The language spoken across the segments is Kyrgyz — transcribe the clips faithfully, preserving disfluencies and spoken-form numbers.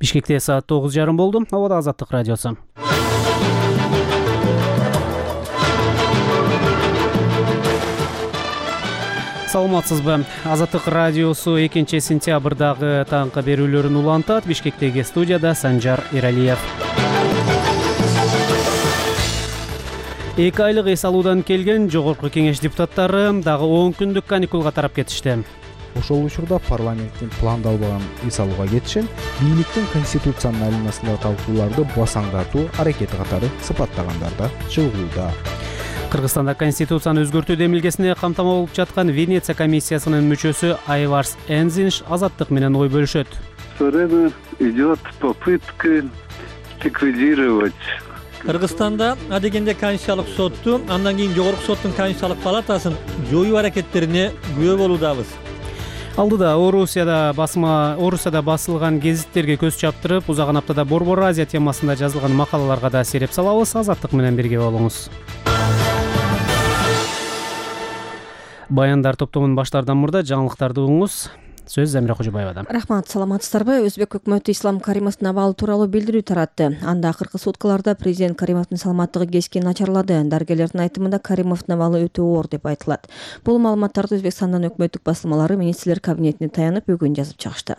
Бишкекте саат тогуз жарым болду. Абада Азаттык радиосу. Саламатсызбы? Азаттык радиосу экинчи сентябрдагы таңкы берүүлөрүн улантат. Бишкектеги студияда Санжар Эралиев. Эки айлык эс алуудан келген жогорку кеңеш депутаттары дагы он күндүк каникулга тарап кетишти. Ошол учурда парламенттин пландалбаган эс алууга кетишин бийликтин конституциянын айланасындагы талкууларды басаңдатуу аракети катары сыпаттагандар да чыгууда. Кыргызстанда конституцияны өзгөртүү демилгесине камтама болуп жаткан Венеция комиссиясынын мүчөсү Айварс Энзинш Азаттык менен ой бөлүшөт. Всё время идет попытка ликвидировать. Кыргызстанда адегенде Конституциялык сотту, андан кийин Жогорку соттун Конституциялык палатасын жоюу аракеттерине күбө болуудабыз. Алдыда Орусияда басма Орусияда басылган гезиттерге көз чаптырып, узаган аптада Борбор Азия темасында жазылган макалаларга да сереп салабыз. Азаттык менен бирге болуңуз. Баяндар топтомунун баштаардан мурда жаңылыктарды угуңуз. Сөз Замира Кожобаевада. Рахмат, саламатсыздарбы? Өзбек өкмөтү Ислам Каримовдун абалы тууралуу билдирүү таратты. Анда акыркы суткаларда президент Каримовдун саламаттыгы кескин начарлады. Дарыгерлердин айтымында Каримовдун абалы өтө оор деп айтылат. Бул маалыматтарды Өзбекстандын өкмөттүк басылмалары министрлер кабинетине таянып бүгүн жазып чыгышты.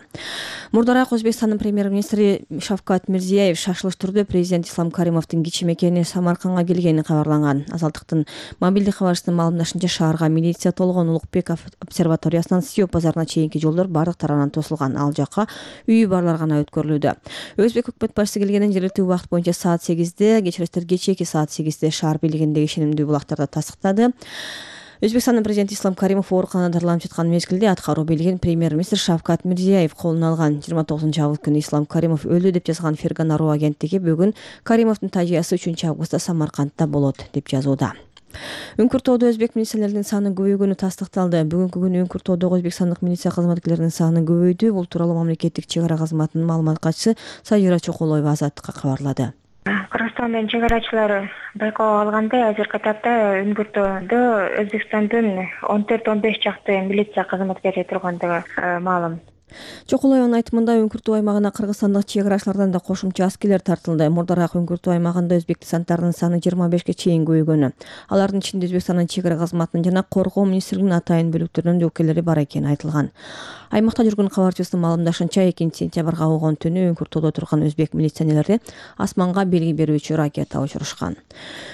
Мурдараак Өзбекстандын премьер-министри Шавкат Мирзиеев шашылыш түрдө президент Ислам Каримовдун кичи мекени Самаркандга келгени кабарланган. Азаттыктын мобилдик кабарчысынын маалымдашынча, шаарга милиция толгон Улукбек обсерваториясынан Сио базарына чейинки жол бардык тарабынан тосулган. Ал жакка үйү барлар гана өткөрүлүүдө. Өзбек өкмөт башчысы келгенден жергиликтүү убакыт боюнча саат сегизде, кечиресиздер кечээки саат сегизде шаар бийлигиндеги ишенимдүү булактарда тастыктады. Өзбекстандын президенти Ислам Каримов ооруканада дарыланып жаткан мезгилде аткаруу бийлигин премьер-министр Шавкат Мирзиеев колуна алган. жыйырма тогузунчу август күнү Ислам Каримов өлдү деп жазган Фергана Ру агенттиги бүгүн Каримовдун тажыясы үчүнчү августта Самаркандда болот деп жазууда. Үңкүртоодо өзбек милициялеринин саны көбөйгөнү тастыкталды. Бүгүнкү күнү Үңкүртоодогу өзбекстандык милиция кызматкерлеринин саны көбөйдү. Бул тууралуу мамлекеттик чек ара кызматынын маалымат катчысы Сажира Чокулоева Азаттыкка кабарлады. Кыргызстандын чек арачылары байкоого алгандай азыркы тапта Үңкүртоодо Өзбекстандын он төрт он беш чакты милиция кызматкери тургандыгы маалым. Чокулоеванын айтымында Үңкүртөө аймагына кыргызстандык чек арачылардан да кошумча аскерлер тартылды. Мурдараак Үңкүртөө аймагында өзбек десанттарынын саны жыйырма бешке чейин көбөйгөнү. Алардын ичинде Өзбекстандын чек ара кызматынын жана коргоо министрлигинин атайын бөлүктөрүнүн өкүлдөрү бар экени айтылган. Аймакта жүргөн кабарчыбыздын маалымдашынча, экинчи сентябрга болгон түнү Үңкүртөодө турган өзбек милиционерлери асманга белги берүүчү ракета учурушкан.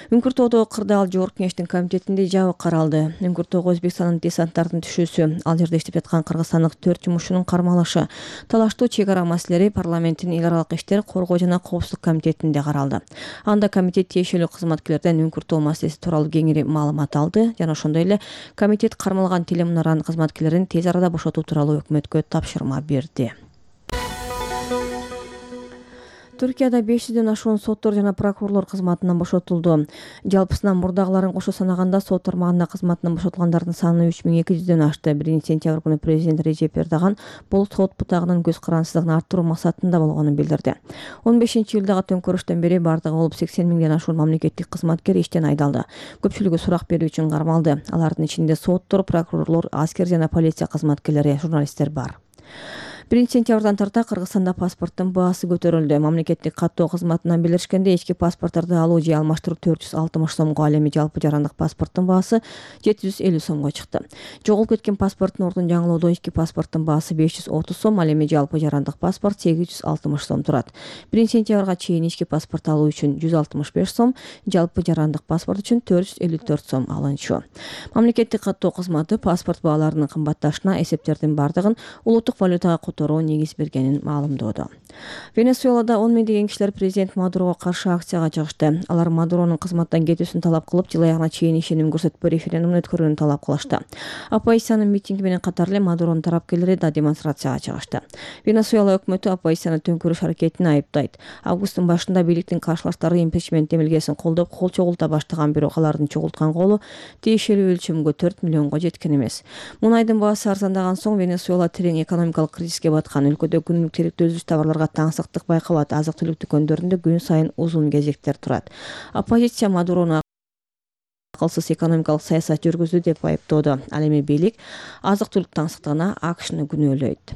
Үңкүртөодо кырдаал жогорку кеңештин комитетинде жабык каралды. Үңкүртөөгө Өзбекстандын десанттарынын түшүүсү, ал жерде иштеп жаткан кыргызстандык төрт жумушчунун кармалышы, талаштуу чек ара маселелери парламенттин эл аралык иштер, коргоо жана коопсуздук комитетинде каралды. Анда комитет тиешелүү кызматкерлерден Үңкүртөө маселеси тууралуу кеңири маалымат алды жана ошондой эле комитет кармалган телемунаранын кызматкерлерин тез арада бошотуу тууралуу өкмөткө тапшырма берди. Түркияда беш жүздөн ашуун соттор жана прокурорлор кызматынан бошотулду. Жалпысынан мурдагыларын кошо санаганда сот тармагында кызматынан бошотулгандардын саны үч миң эки жүздөн ашты. биринчи сентябрь күнү президент Режеп Эрдоган бул сот бутагынын көз карандысыздыгын арттыруу максатында болгонун билдирди. он бешинчи июлдагы төңкөрүштөн бери бардыгы болуп сексен миңден ашуун мамлекеттик кызматкер иштен айдалды. Көпчүлүгү сурак берүү үчүн кармалды. Алардын ичинде соттор, прокурорлор, аскер жана полиция кызматкерлери, журналисттер бар. биринчи сентябрдан тарта Кыргызстанда паспорттун баасы көтөрүлдү. Мамлекеттик каттоо кызматынан билдиришкенде, ички паспортторду алуу же алмаштыруу төрт жүз алтымыш сомго, ал эми жалпы жарандык паспорттун баасы жети жүз элүү сомго чыкты. Жоголуп кеткен паспорттун ордун жаңылоодо ички паспорттун баасы беш жүз отуз сом, ал эми жалпы жарандык паспорт сегиз жүз алтымыш сом турат. биринчи сентябрга чейин ички паспорт алуу үчүн жүз алтымыш беш сом, жалпы жарандык паспорт үчүн төрт жүз элүү төрт сом алынчу. Мамлекеттик каттоо кызматы паспорт бааларынын кымбатташына эсептердин бардыгын улуттук валютага которуу негиз бергенин маалымдоодо. Венесуэлада он миңдеген кишилер президент Мадурого каршы акцияга чыгышты. Алар Мадуронун кызматтан кетүүсүн талап кылып, жыл аягына чейин ишеним көрсөтпөө референдумун өткөрүүнү талап кылышты. Оппозициянын митинги менен катар эле Мадуронун тарапкерлери да демонстрацияга чыгышты. Венесуэла өкмөтү оппозицияны төңкөрүш аракетин айыптайт. Августтун башында бийликтин каршылаштары импичмент демилгесин колдоп, кол чогулта баштаган, бирок алардын чогулткан колу тиешелүү өлчөмгө төрт миллионго жеткен эмес. Мунайдын баасы арзандаган соң Венесуэла терең экономикалык кризиске баткан. Өлкөдө күнүмдүк керектүү өзүч товарларга таңсыктык байкалат. Азык-түлүк дүкөндөрүндө күн сайын узун кезектер турат. Оппозиция Мадурону акылсыз экономикалык саясат жүргүздү деп айыптоодо. Ал эми бийлик азык-түлүк таңсыктыгына АКШны күнөөлөйт.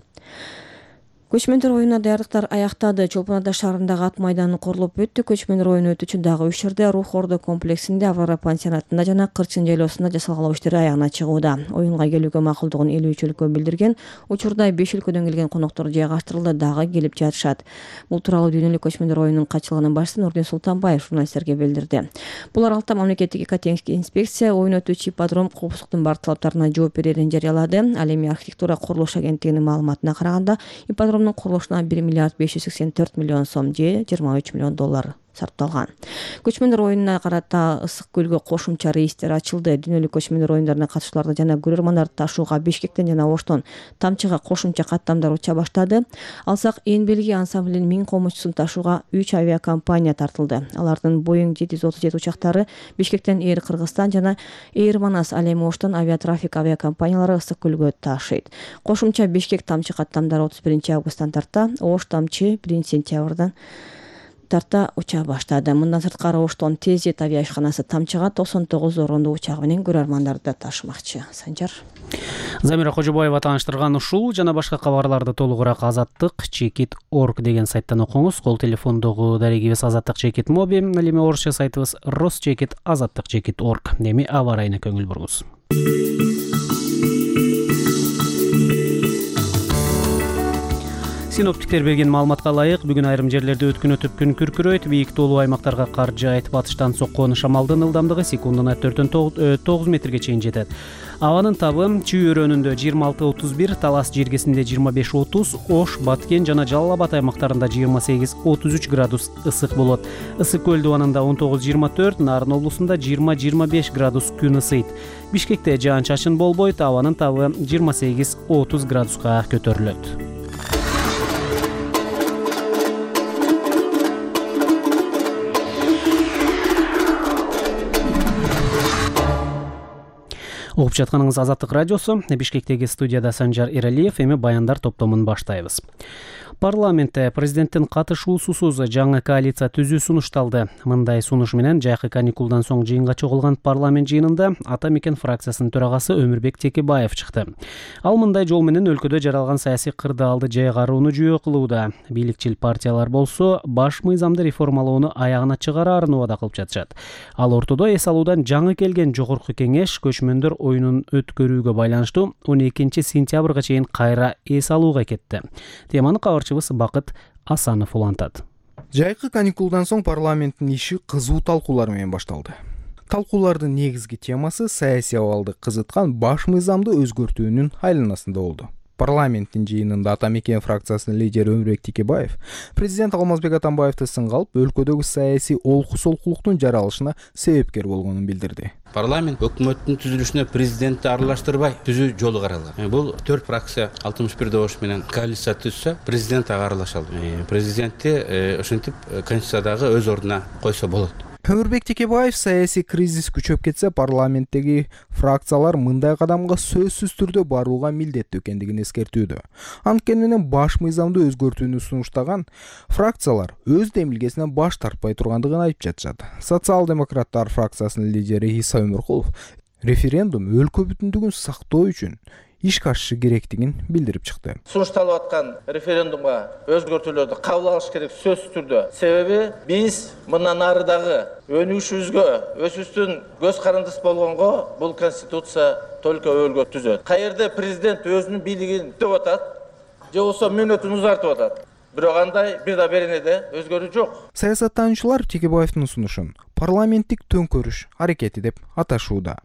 Көчмөндөр оюнуна даярдыктар аяктады. Чолпон Ата шаарындагы ат майданы курулуп өттү. Көчмөндөр оюну өтүүчү дагы үч жерде Рух Ордо комплексинде, Аврора пансионатында жана Кырчын жайлоосунда жасалгалоо иштери аягына чыгууда. Оюнга келүүгө макулдугун элүү үч өлкө билдирген. Учурда беш өлкөдөн келген коноктор жайгаштырылды, дагы келип жатышат. Бул тууралуу дүйнөлүк көчмөндөр оюнунун катчылыгынын башчысы Нурдин Султанбаев журналисттерге билдирди. Бул аралыкта мамлекеттик экотеңсиздик инспекция оюн өтүүчү ипподром коопсуздуктун бардык талаптарына жооп берерин жарыялады. Ал эми архитектура курулуш агенттигинин маалыматына караганда, ипподром курулушуна бир миллиард беш жүз сексен төрт миллион сом же жыйырма үч миллион доллар сарпталган. Көчмөндөр оюнуна карата Ысык көлгө кошумча рейстер ачылды. Дүйнөлүк көчмөндөр оюндарына катышууларды жана көрөрмандарды ташууга Бишкектен жана Оштон Тамчыга кошумча каттамдар уча баштады. Алсак Энбелги ансамблинин миң комузчусун ташууга үч авиакомпания тартылды. Алардын Боeing жети жүз отуз жети учактары Бишкектен Эйр Кыргызстан жана Эйр Манас, ал эми Оштон авиатрафик авиакомпаниялары Ысык көлгө ташыйт. Кошумча Бишкек Тамчы каттамдары отуз биринчи августтан тарта, Ош Тамчы биринчи сентябрдан тарта уча баштады. Мындан сырткары Оштон Тезет авиашканасы Тамчыга токсон тогуз орондуу учагы менен көрөрмандарды ташымакчы. Санжар Замира Кожобаева тааныштырган ушул жана башка кабарларды толугураак азаттык чекит точка орг деген сайттан окуңуз. Кол телефондогу дарегибиз азаттык чекит моби, ал эми орусча сайтыбыз росчекит азаттык чекит точка орг. Эми аба ырайына көңүл буруңуз. Синоптиктер берген маалыматка ылайык, бүгүн айрым жерлерде өткүн өтүп күн күркүрөйт, бийик тоолуу аймактарга кар жаайт, батыштан соккон шамалдын ылдамдыгы секундуна төрттөн тогуз метрге чейин жетет. Абанын табы Чүй өрөөнүндө жыйырма алты отуз бир, Талас жергесинде жыйырма беш отуз, Ош, Баткен жана Жалал Абад аймактарында жыйырма сегиз отуз үч градус ысык болот. Ысык көл дубанында он тогуз жыйырма төрт, Нарын облусунда жыйырма жыйырма беш градус күн ысыйт. Бишкекте жаан-чачын болбойт, абанын табы жыйырма сегиз отуз градуска көтөрүлөт. Угуп жатканыңыз Азаттык радиосу. Бишкектеги студияда Санжар Эралиев. Эми баяндар топтомун баштайбыз. Парламентте президенттин катышуусусуз жаңы коалиция түзүү сунушталды. Мындай сунуш менен жайкы каникулдан соң жыйынга чогулган парламент жыйынында Ата Мекен фракциясынын төрагасы Өмүрбек Текебаев чыкты. Ал мындай жол менен өлкөдө жаралган саясий кырдаалды жайгарууну жүйө кылууда. Бийликчил партиялар болсо баш мыйзамды реформалоону аягына чыгараарын убада кылып жатышат. Ал ортодо эс алуудан жаңы келген жогорку кеңеш көчмөндөр оюнун өткөрүүгө байланыштуу он экинчи сентябрга чейин кайра эс алууга кетти. Теманы кабарчыбыз Бакыт Асанов улантат. Жайкы каникулдан соң парламенттин иши кызуу талкуулар менен башталды. Талкуулардын негизги темасы саясий абалды кызыткан баш мыйзамды өзгөртүүнүн айланасында болду. Парламенттин жыйынында Ата Мекен фракциясынын лидери Өмүрбек Текебаев президент Алмазбек Атамбаевди сынга алып, өлкөдөгү саясий олку-солкулуктун жаралышына себепкер болгонун билдирди. Парламент өкмөттүн түзүлүшүнө президентти аралаштырбай түзүү жолу каралган. Бул төрт фракция алтымыш бир добуш менен коалиция түзсө, президент ага аралаша алды. Президентти ошентип конституциядагы өз ордуна койсо болот. Өмүрбек Текебаев саясий кризис күчөп кетсе, парламенттеги фракциялар мындай кадамга сөзсүз түрдө барууга милдеттүү экендигин эскертүүдө. Анткени менен баш мыйзамды өзгөртүүнү сунуштаган фракциялар өз демилгесинен баш тартпай тургандыгын айтып жатышат. Социал-демократтар фракциясынын лидери Иса Өмүркулов референдум өлкө бүтүндүгүн сактоо үчүн иш кашышы керектигин билдирип чыкты. Сунушталып аткан референдумга өзгөртүүлөрдү кабыл алыш керек сөзсүз түрдө. Себеби биз мындан нарыдагы өнүгүшүбүзгө, өзүбүздүн көз карандысы болгонго бул конституция только өөлгө түзөт. Каерде президент өзүнүн бийлигин деп атат, же болбосо мөөнөтүн узартып атат. Бирок андай бир да беренеде өзгөрүү жок. Саясаттануучулар Текебаевдин сунушун парламенттик төңкөрүш аракети деп аташууда.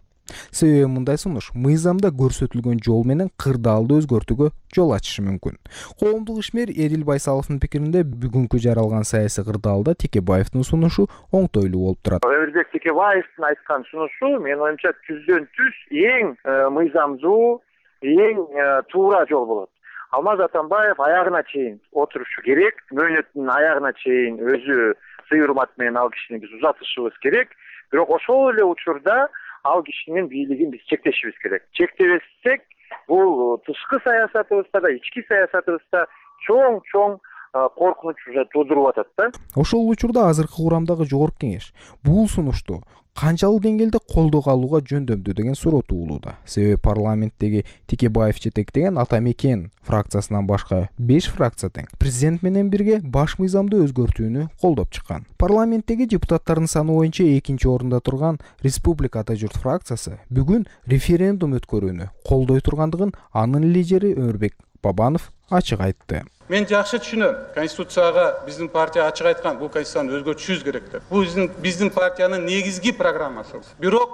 Себеби мындай сунуш мыйзамда көрсөтүлгөн жол менен кырдаалды өзгөртүүгө жол ачышы мүмкүн. Коомдук ишмер Эдил Байсаловдун пикиринде бүгүнкү жаралган саясий кырдаалда Текебаевдин сунушу оңтойлуу болуп турат. Өмүрбек Текебаевдин айткан сунушу менин оюмча түздөн түз эң мыйзамдуу, эң туура жол болот. Алмаз Атамбаев аягына чейин отурушу керек, мөөнөттүн аягына чейин өзү сый урмат менен ал кишини биз узатышыбыз керек. Бирок ошол эле учурда ал кишинин бийлигин биз чектешибиз керек. Чектебесек, бул тышкы саясатыбызда да, ички саясатыбызда чоң-чоң коркунуч уже туудуруп атат да. Ошол учурда азыркы курамдагы жогорку кеңеш бул сунушту канчалык деңгээлде колдоого алууга жөндөмдүү деген суроо туулууда. Себеби парламенттеги Текебаев жетектеген Ата Мекен фракциясынан башка беш фракция тең президент менен бирге баш мыйзамды өзгөртүүнү колдоп чыккан. Парламенттеги депутаттардын саны боюнча экинчи орунда турган Республика Ата Журт фракциясы бүгүн референдум өткөрүүнү колдой тургандыгын анын лидери Өмүрбек Бабанов ачык айтты. Мен жакшы түшүнөм. Конституцияга биздин партия ачык айткан, бул конституцияны өзгөртүшүбүз керек деп. Бул биздин биздин партиянын негизги программасы. Бирок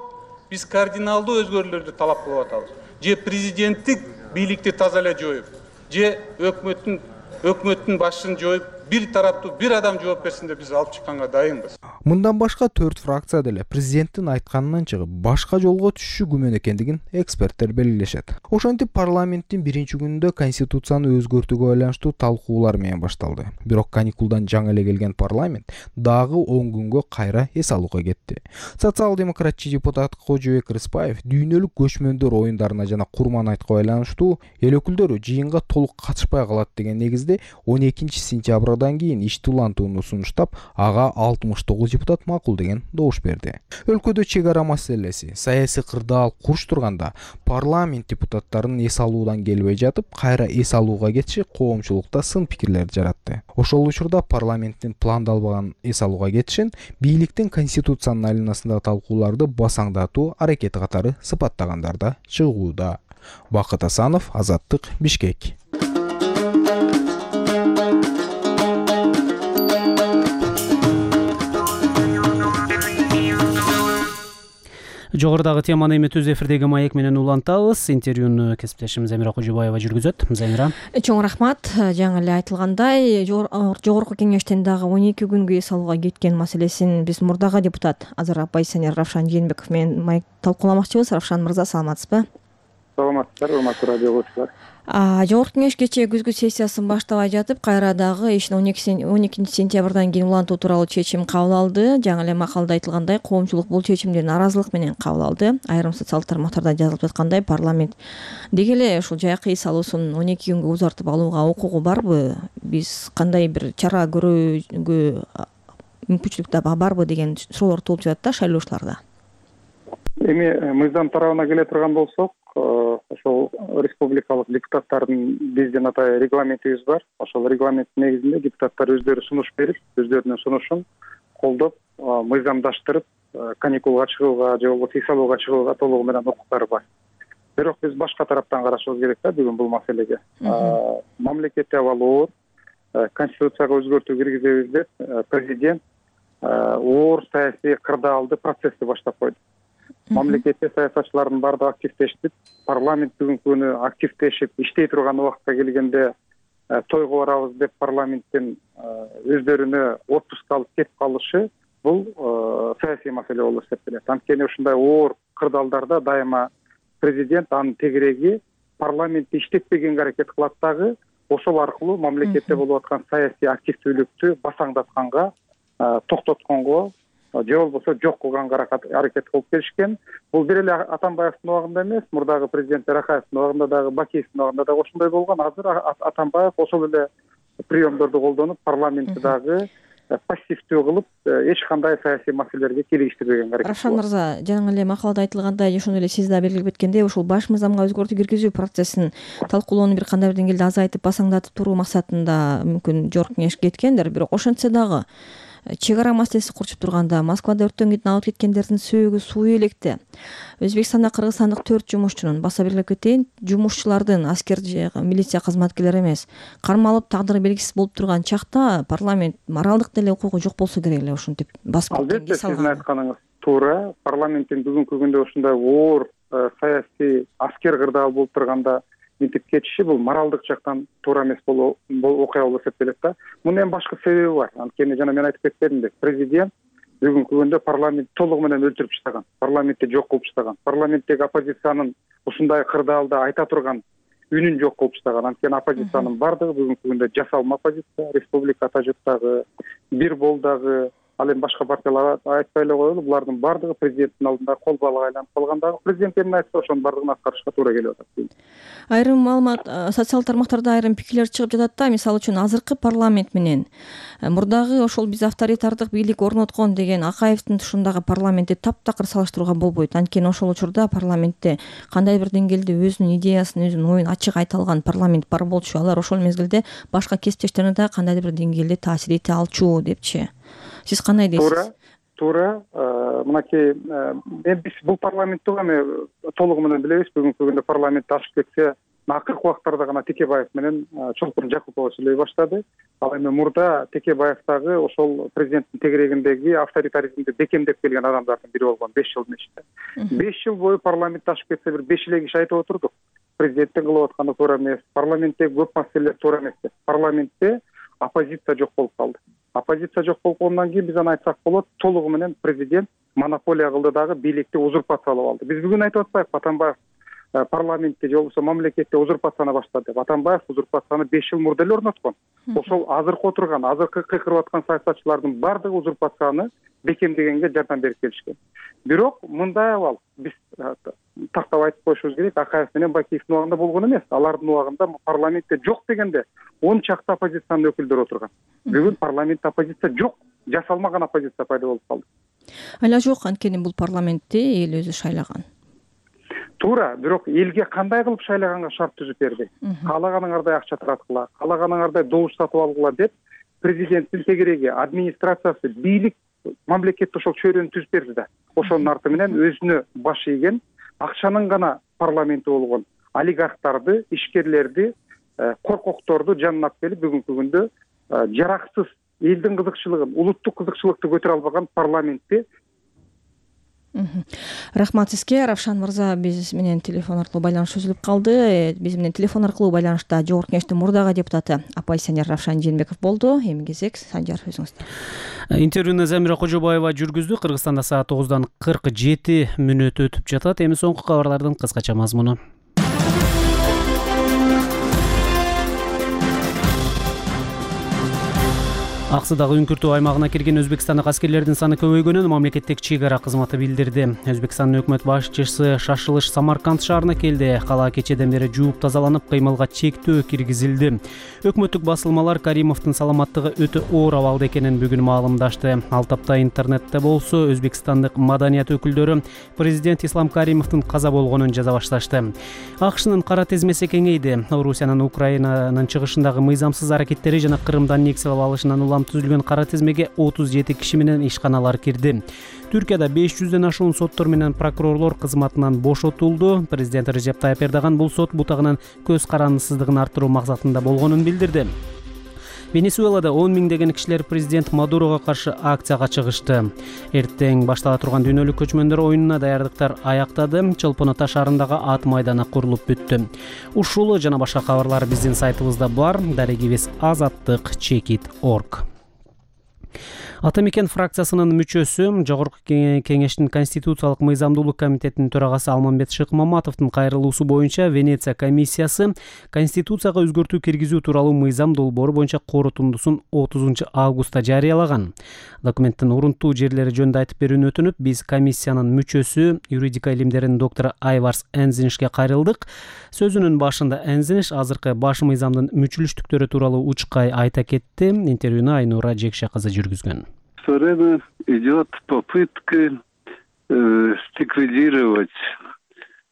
биз кардиналдуу өзгөрүүлөрдү талап кылып атабыз. Же президенттик бийликти таза эле жоюп, же өкмөттүн өкмөттүн башын жоюп, бир тараптуу бир адам жооп берсин деп биз алып чыкканга дайынбыз. Мындан башка төрт фракция деле президенттин айтканынан чыгып башка жолго түшүшү күмөн экендигин эксперттер белгилешет. Ошентип парламенттин биринчи күнүндө конституцияны өзгөртүүгө байланыштуу талкуулар менен башталды. Бирок каникулдан жаңы эле келген парламент дагы он күнгө кайра эс алууга кетти. Социал-демократчы депутат Кожобек Рыспаев дүйнөлүк көчмөндөр оюндарына жана Курман айтка байланыштуу эл өкүлдөрү жыйынга толук катышпай калат деген негизде он экинчи сентябрдан кийин ишти улантууну сунуштап, ага алтымыш тогуз депутат макул деген добуш берди. Өлкөдө чек ара маселеси, саясий кырдаал курч турганда парламент депутаттарынын эс алуудан келбей жатып, кайра эс алууга кетиши коомчулукта сын пикирлерди жаратты. Ошол учурда парламенттин пландалбаган эс алууга кетишин бийликтин конституциянын айланасындагы талкууларды басаңдатуу аракети катары сыпаттагандар да чыгууда. Бакыт Асанов, Азаттык, Бишкек. Жогорудагы теманы эми түз эфирдеги маек менен улантабыз. Интервьюну кесиптешим Замира Кожобаева жүргүзөт. Замира. Чоң рахмат. Жаңы эле айтылгандай, жогорку кеңештен дагы он эки күнгө эс алууга кеткен маселесин биз мурдагы депутат азыр оппозиционер Равшан Жээнбеков менен маек талкууламакчыбыз. Равшан мырза, саламатсызбы? Саламатсыздар, урматтуу радио көрүүчүлөр. Жогорку кеңеш кечээ күзгү сессиясын баштабай жатып, кайра дагы ишин он экинчи сентябрдан кийин улантуу тууралуу чечим кабыл алды. Жаңы эле макалда айтылгандай, коомчулук бул чечимди нааразылык менен кабыл алды. Айрым социалдык тармактарда жазылып жаткандай, парламент деги эле ушул жайкы эс алуусун он эки күнгө узартып алууга укугу барбы? Биз кандай бир чара көрүүгө мүмкүнчүлүк да барбы деген суроолор туулуп жатат да шайлоочуларда. Эми мыйзам тарабына келе турган болсок, ошол республикалык депутаттардын биздин атай регламентибиз бар. Ошол регламенттин негизинде депутаттар өздөрү сунуш берип, өздөрүнүн сунушун колдоп, мыйзамдаштырып, каникулга чыгууга же болбосо эс алууга чыгууга толугу менен укуктары бар. Бирок биз башка тараптан карашыбыз керек да бүгүн бул маселеге. Мамлекетте абал оор, конституцияга өзгөртүү киргизебиз деп президент оор саясий кырдаалды процессти баштап койду. Мамлекетте саясатчылардын баардыгы активдешип, парламент бүгүнкү күнү активдешип иштей турган убакытка келгенде тойго барабыз деп парламенттен өздөрүнө отпуск алып кетип калышы бул саясий маселе болуп эсептелет. Анткени ушундай оор кырдаалдарда дайыма президент анын тегереги парламентти иштетпегенге аракет кылат дагы, ошол аркылуу мамлекетте болуп аткан саясий активдүүлүктү басаңдатканга, токтотконго же болбосо жок кылганга аракет кылып келишкен. Бул бир эле Атамбаевдин убагында эмес, мурдагы президент Рахаевдин убагында дагы, Бакиевдин убагында дагы ошондой болгон. Азыр Атамбаев ошол эле приемдорду колдонуп, парламентти дагы пассивдүү кылып, эч кандай саясий маселелерге киргиштирбегенге аракет кылат. Равшан мырза, жаңы эле макалда айтылгандай, ошондой эле сиз да белгилеп кеткендей, ушул баш мыйзамга өзгөртүү киргизүү процессин талкуулоону бир кандай бир деңгээлде азайтып, басаңдатып туруу максатында мүмкүн жогорку кеңеш кеткендир. Бирок ошентсе дагы чек ара маселеси курчуп турганда, Москвада өрттөн кийин алып кеткендердин сөөгү суу электе. Өзбекстанда кыргызстандык төрт жумушчунун, баса белгилеп кетейин, жумушчулардын аскер же милиция кызматкерлери эмес, кармалып тагдыры белгисиз болуп турган чакта парламент моралдык деле укугу жок болсо керек эле ушинтип басып кеткенге албетте сиздин айтканыңыз туура. Парламенттин бүгүнкү күндө ушундай оор саясий аскер кырдаал болуп турганда мынтип кетиши бул моралдык жактан туура эмес болуу окуя болуп эсептелет да. Мунун эми башка себеби бар. Анткени жана мен айтып кеткендимдек, президент бүгүнкү күндө парламент толугу менен өлтүрүп таштаган, парламентти жок кылып таштаган, парламенттеги оппозициянын ушундай кырдаалды айта турган үнүн жок кылып таштаган. Анткени оппозициянын бардыгы бүгүнкү күндө жасалма оппозиция, республика Ата Журттагы, бир болдагы, ал эми башка партиялар айтпай эле коелу, булардын баардыгы президенттин алдында кол балык айланып калгандагы. Президент эмне айтса ошонун баардыгын аткарышка туура келип атат. Айрым маалымат социалдык тармактарда айрым пикирлер чыгып жатат да, мисалы үчүн азыркы парламент менен мурдагы ошол биз авторитардык бийлик орноткон деген Акаевдин тушундагы парламентти таптакыр салыштырууга болбойт. Анткени ошол учурда парламентте кандайдыр бир деңгээлде өзүнүн идеясын, өзүнүн оюн ачык айта алган парламент бар болчу. Алар ошол мезгилде башка кесиптештерине да кандайдыр бир деңгээлде таасир эте алчу депчи. Сиз кандай дейсиз? Туура, туура. Мынакей мен биз бул парламентти эми толугу менен билебиз. Бүгүнкү күндө парламентте ашып кетсе, акыркы убактарда гана Текебаев менен Чолпон Жакупова сүйлөй баштады. Ал эми мурда Текебаев дагы ошол президенттин тегерегиндеги авторитаризмди бекемдеп келген адамдардын бири болгон беш жылдын ичинде. беш жыл бою парламентте ашып кетсе бир беш эле киши айтып отурдук. Президенттин кылып атканы туура эмес, парламентте көп маселелер туура эмес деп. Парламентте оппозиция жок болуп калды. Оппозиция жок болгондон кийин биз аны айтсак болот, толугу менен президент монополия кылды дагы, бийликти узурпациялап алды. Биз бүгүн айтып атпайбы, Атамбаев парламентте же болбосо мамлекетте узурпацияны баштады деп. Атамбаев узурпацияны беш жыл мурда эле орноткон. Ошол азыркы отурган, азыркы кыйкырып аткан саясатчылардын баардыгы узурпацияны бекемдегенге жардам берип келишкен. Бирок мындай абал, биз тактап айтып коюшубуз керек, Акаев менен Бакиевдин убагында болгон эмес. Алардын убагында парламентте жок дегенде он чакты оппозициянын өкүлдөрү отурган. Бүгүн парламентте оппозиция жок, жасалмаган оппозиция пайда болуп калды. Ала жок, анткени бул парламентти эл өзү шайлаган. Туура, бирок элге кандай кылып шайлаганга шарт түзүп берди. Каалаганыңардай акча тараткыла, каалаганыңардай добуш сатып алгыла деп президенттин тегереги, администрациясы, бийлик мамлекетте ошол чөйрөнү түзүп берди да. Ошонун арты менен өзүнө баш ийген, акчанын гана парламенти болгон олигархтарды, ишкерлерди, коркокторду жанына алып келип бүгүнкү күндө жараксыз элдин кызыкчылыгын, улуттук кызыкчылыкты көтөрө албаган парламентти. Рахмат сизге, Равшан мырза. Биз менен телефон аркылуу байланыш үзүлүп калды. Биз менен телефон аркылуу байланышта Жогорку Кеңештин мурдагы депутаты оппозиционер Равшан Жээнбеков болду. Эми кезек Санжар өзүңүздө. Интервьюну Замира Кожобаева жүргүздү. Кыргызстанда саат тогуздан кырк жети мүнөт өтүп жатат. Эми соңку кабарлардын кыскача мазмуну. Аксыдагы үңкүртүү аймагына кирген Өзбекстандык аскерлердин саны көбөйгөнүн мамлекеттик чек ара кызматы билдирди. Өзбекстандын өкмөт башчысы шашылыш Самарканд шаарына келди. Кала кечеден бери жууп тазаланып, кыймылга чектөө киргизилди. Өкмөттүк басылмалар Каримовдун саламаттыгы өтө оор абалда экенин бүгүн маалымдашты. Ал тапта интернетте болсо Өзбекстандык маданият өкүлдөрү президент Ислам Каримовдун каза болгонун жаза башташты. АКШнын кара тезмеси кеңейди. Орусиянын Украинанын чыгышындагы мыйзамсыз аракеттери жана Кырымдан нексилеп алышынан улам түзүлгөн кара тизмеге отуз жети киши менен ишканалар кирди. Түркияда беш жүздөн ашуун соттор менен прокурорлор кызматынан бошотулду. Президент Режеп Тайып Эрдоган бул сот бутагынын көз карандысыздыгын арттыруу максатында болгонун билдирди. Венесуэлада он миңдеген кишилер президент Мадурого каршы акцияга чыгышты. Эртең баштала турган дүйнөлүк көчмөндөр оюнуна даярдыктар аяктады. Чолпонота шаарындагы ат майданы курулуп бүттү. Ушул жана башка кабарлар биздин сайтыбызда бар. Дарегибиз азаттык чекит точка орг. Ата мекен фракциясынын мүчөсү, Жогорку Кеңештин Конституциялык мыйзамдуулук комитетинин төрагасы Алмамбет Шыкмаматовдун кайрылуусу боюнча Венеция комиссиясы Конституцияга өзгөртүү киргизүү тууралуу мыйзам долбоору боюнча корутундусун отузунчу августта жарыялаган. Документтин урунтуу жерлери жөнүндө айтып берүүнү өтүнүп, биз комиссиянын мүчөсү, юридика илимдеринин доктору Айварс Энзинишке кайрылдык. Сөзүнүн башында Энзиниш азыркы баш мыйзамдын мүчүлүштүктөрү тууралуу учкай айта кетти. Интервьюну Айнура Жекше кызы жүргүзгөн. Скоро идет попытка э, ликвидировать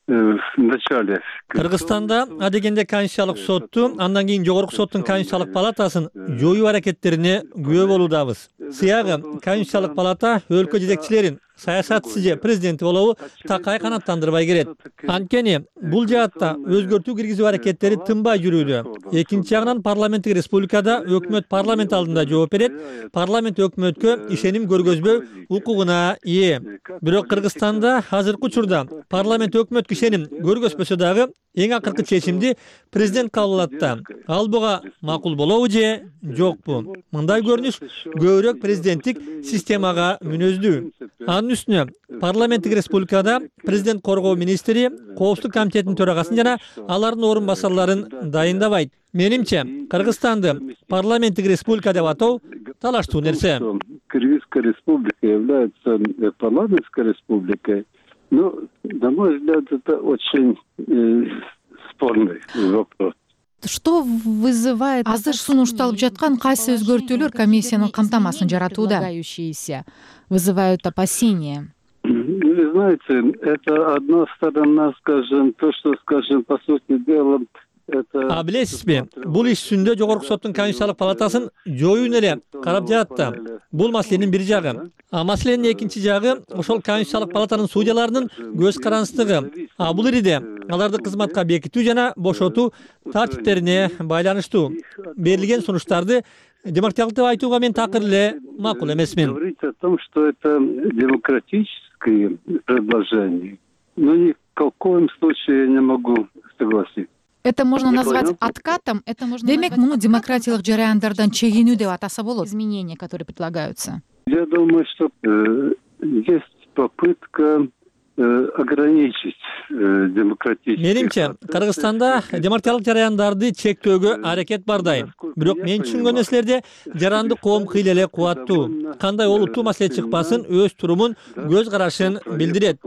э, в начале. Кыргызстанда адегенде Конституциялык сотту, андан кийин Жогорку соттун Конституциялык палатасын жоюу аракеттерине күбө болуудабыз. Сыягы Конституциялык палата өлкө жетекчилерин, саясатчысы же президенти болобу такай канаттандырбай келет. Анткени бул жаатта өзгөртүү киргизүү аракеттери тынбай жүрүүдө. Экинчи жагынан парламенттик республикада өкмөт парламент алдында жооп берет. Парламент өкмөткө ишеним көргөзбөө укугуна ээ. Бирок Кыргызстанда азыркы учурда парламент өкмөткө ишеним көргөзбөсө дагы эң акыркы чечимди президент кабыл алат да. Ал буга макул болобу же жокпу? Мындай көрүнүш көбүрөөк президенттик системага мүнөздүү. Анын үстүнө парламенттик республикада президент коргоо министри, коопсуздук комитетинин төрагасын жана алардын орун басарларын дайындабайт. Менимче, Кыргызстанды парламенттик республика деп атоо талаштуу нерсе. Кыргызская республика является парламентской республикой, ну, на мой взгляд, это очень э, спорный вопрос. Что вызывает азыр сунушталып жаткан кайсы өзгөртүүлөр комиссиянын камтамасын жаратууда? Вызывают опасения. Вы знаете, это одна сторона, скажем, то, что, скажем, по сути дела, А билесизби, бул иш үстүндө Жогорку соттун Конституциялык палатасын жоюун эле карап жатты. Бул маселенин бир жагы. А маселенин экинчи жагы ошол Конституциялык палатанын судьяларынын көз карандысыздыгы. А бул ириде аларды кызматка бекитүү жана бошотуу тартиптерине байланыштуу. Берилген сунуштарды демократиялык деп айтууга мен такыр эле макул эмесмин. Говорить о том, что это демократические предложения, но ни в коем случае я не могу согласиться. Это можно назвать откатом, это можно Демек, муну демократиялык жараяндардан чегинүү деп атаса болот. Изменения, которые предлагаются. Я думаю, что э, есть попытка э, ограничить э, демократические. Менимче, Кыргызстанда демократиялык жараяндарды чектөөгө аракет бардай. Бирок мен түшүнгөн нерселерде жаранды коом кыйла эле кубаттуу. Кандай олуттуу маселе чыкпасын, өз турумун, көз карашын билдирет.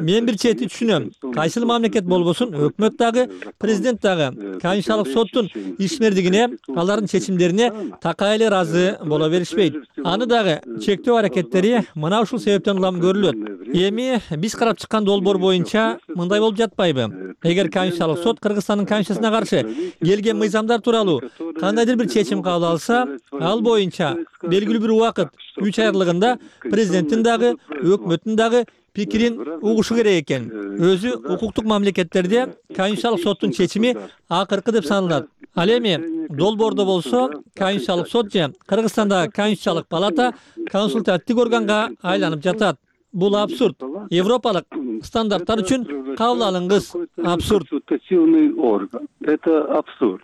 Мен бир чети түшүнөм. Кайсыл мамлекет болбосун, өкмөт дагы, президент дагы Конституциялык соттун ишмердигине, алардын чечимдерине такай эле ыраазы боло беришпейт. Аны дагы чектөө аракеттери мына ушул себептен улам көрүлөт. Эми биз карап чыккан долбоор боюнча мындай болуп жатпайбы? Эгер Конституциялык сот Кыргызстандын Конституциясына каршы келген мыйзамдар тууралуу кандайдыр бир чечим кабыл алса, ал боюнча белгилүү бир убакыт үч ай аралыгында президенттин дагы, өкмөттүн дагы пикирин угушу керек экен. Өзү укуктук мамлекеттерде Конституциялык соттун чечими акыркы деп саналат. Ал эми долбоордо болсо Конституциялык сот же Кыргызстандагы Конституциялык палата консультативдик органга айланып жатат. Бул абсурд. Европалык стандарттар үчүн кабыл алынгыс. Абсурд. Консультативный орган. Это абсурд.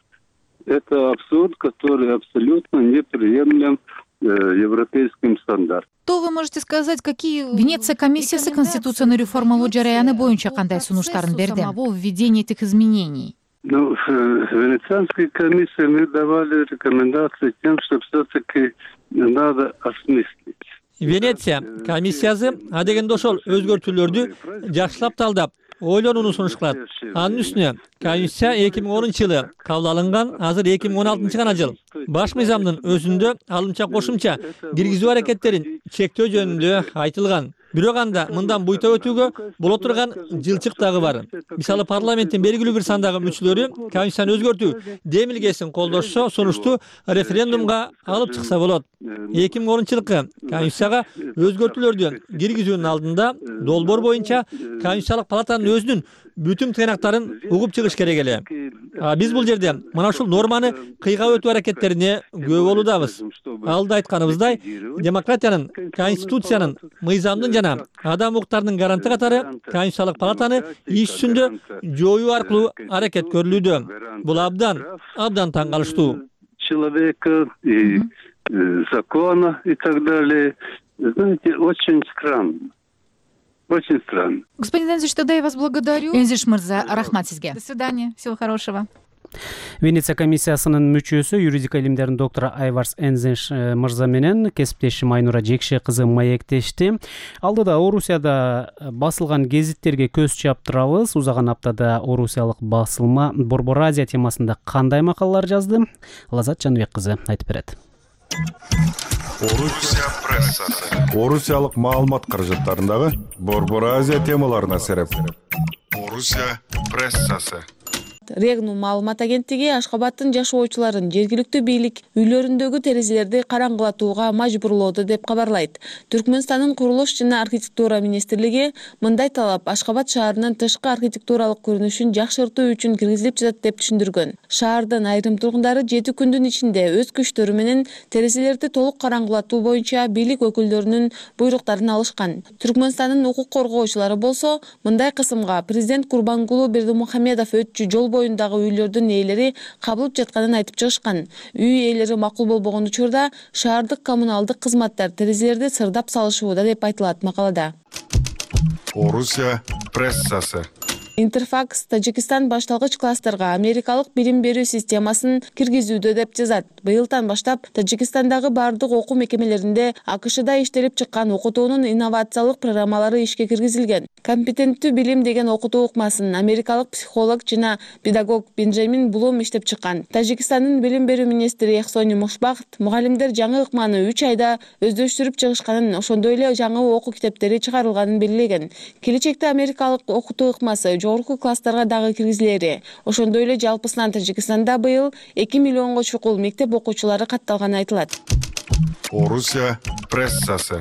Это абсурд, который абсолютно неприемлем э, европейским стандартам. Что вы можете сказать, какие Венеция комиссиясы конституцияны реформалоо жараяны боюнча кандай сунуштарын берди? Самого введения этих изменений. Ну, в Венецианской комиссии мы давали рекомендации тем, что все-таки надо осмыслить. Венеция комиссиясы адегенде ошол өзгөртүүлөрдү жакшылап талдап, ойлонууну сунуш кылат. Анын үстүнө Конституция эки миң онунчу жылы кабыл алынган, азыр эки миң он алтынчы гана жыл. Баш мыйзамдын өзүндө алымча кошумча киргизүү аракеттерин чектөө жөнүндө айтылган. Бирок анда мындан буйта өтүүгө боло турган жылчык дагы бар. Мисалы парламенттин белгилүү бир сандагы мүчөлөрү Конституцияны өзгөртүү демилгесин колдошсо, сунушту референдумга алып чыкса болот. эки миң онунчу жылкы Конституцияга өзгөртүүлөрдү киргизүүнүн алдында долбоор боюнча Конституциялык палатанын өзүнүн бүтүн тыйнактарын угуп чыгыш керек эле. А биз бул жерде мына ушул норманы кыйгап өтүү аракеттерине күбө болуудабыз. Алда айтканыбыздай, демократиянын, конституциянын, мыйзамдын жана адам укуктарынын гаранты катары Конституциялык палатаны иш үстүндө жоюу аркылуу аракет көрүлүүдө. Бул абдан, абдан таң калыштуу. Человека и закона и так далее, знаете, очень странно. Очень странно. Господин Энзиш, тогда я вас благодарю. Энзиш мырза, рахмат сизге. До свидания, всего хорошего. Венеция комиссиясынын мүчөсү, юридика илимдеринин доктору Айварс Энзиш мырза менен кесиптешим Айнура Жекше кызы маектешти. Алдыда Орусияда басылган гезиттерге көз чаптырабыз. Узаган аптада орусиялык басылма Борбор Азия темасында кандай макалалар жазды? Лазат Жаныбек кызы айтып берет. Орусия прессасы. Орусиялык маалымат каражаттарындагы Борбор Азия темаларына сереп. Орусия прессасы. Регнум маалымат агенттиги Ашкабадтын жашоочуларын жергиликтүү бийлик үйлөрүндөгү терезелерди караңгылатууга мажбурлоодо деп кабарлайт. Түркмөнстандын курулуш жана архитектура министрлиги мындай талап Ашкабад шаарынын тышкы архитектуралык көрүнүшүн жакшыртуу үчүн киргизилип жатат деп түшүндүргөн. Шаардын айрым тургундары жети күндүн ичинде өз күчтөрү менен терезелерди толук караңгылатуу боюнча бийлик өкүлдөрүнүн буйруктарын алышкан. Түркмөнстандын укук коргоочулары болсо мындай кысымга президент Курбангулу Бердимухамедов өтчү жол боюндагы үйлөрдүн ээлери кабылып жатканын айтып чыгышкан. Үй ээлери макул болбогон учурда шаардык коммуналдык кызматтар терезелерди сырдап салышууда деп айтылат макалада. Орусия прессасы. Интерфакс Тажикстан башталгыч класстарга америкалык билим берүү системасын киргизүүдө деп жазат. Быйылдан баштап Тажикстандагы бардык окуу мекемелеринде АКШда иштелип чыккан окутуунун инновациялык программалары ишке киргизилген. Компетенттүү билим деген окутуу ыкмасын америкалык психолог жана педагог Бенджамин Блум иштеп чыккан. Тажикстандын билим берүү министри Эхсони Мушбахт мугалимдер жаңы ыкманы үч айда өздөштүрүп чыгышканын, ошондой эле жаңы окуу китептери чыгарылганын белгилеген. Келечекте америкалык окутуу ыкмасы жогорку класстарга дагы киргизилери. Ошондой эле жалпысынан Тажикстанда быйыл эки миллионго чукул мектеп окуучулары катталганы айтылат. Орусия прессасы.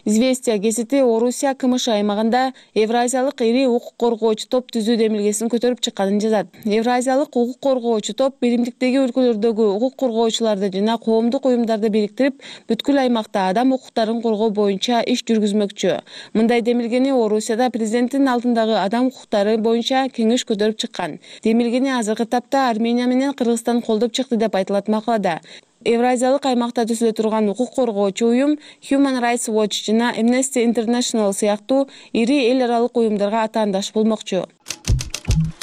Известия гезити Орусия КМШ аймагында Евразиялык ири укук коргоочу топ түзүү демилгесин көтөрүп чыкканын жазат. Евразиялык укук коргоочу топ биримдиктеги өлкөлөрдөгү укук коргоочуларды жана коомдук уюмдарды бириктирип, бүткүл аймакта адам укуктарын коргоо боюнча иш жүргүзмөкчү. Мындай демилгени Орусияда президенттин алдындагы адам укуктары боюнча кеңеш көтөрүп чыккан. Демилгени азыркы тапта Армения менен Кыргызстан колдоп чыкты деп айтылат макалада. Евразиялык аймакта түзүлө турган укук коргоочу уюм Human Rights Watch жана Amnesty International сыяктуу ири эл аралык уюмдарга атаандаш болмокчу.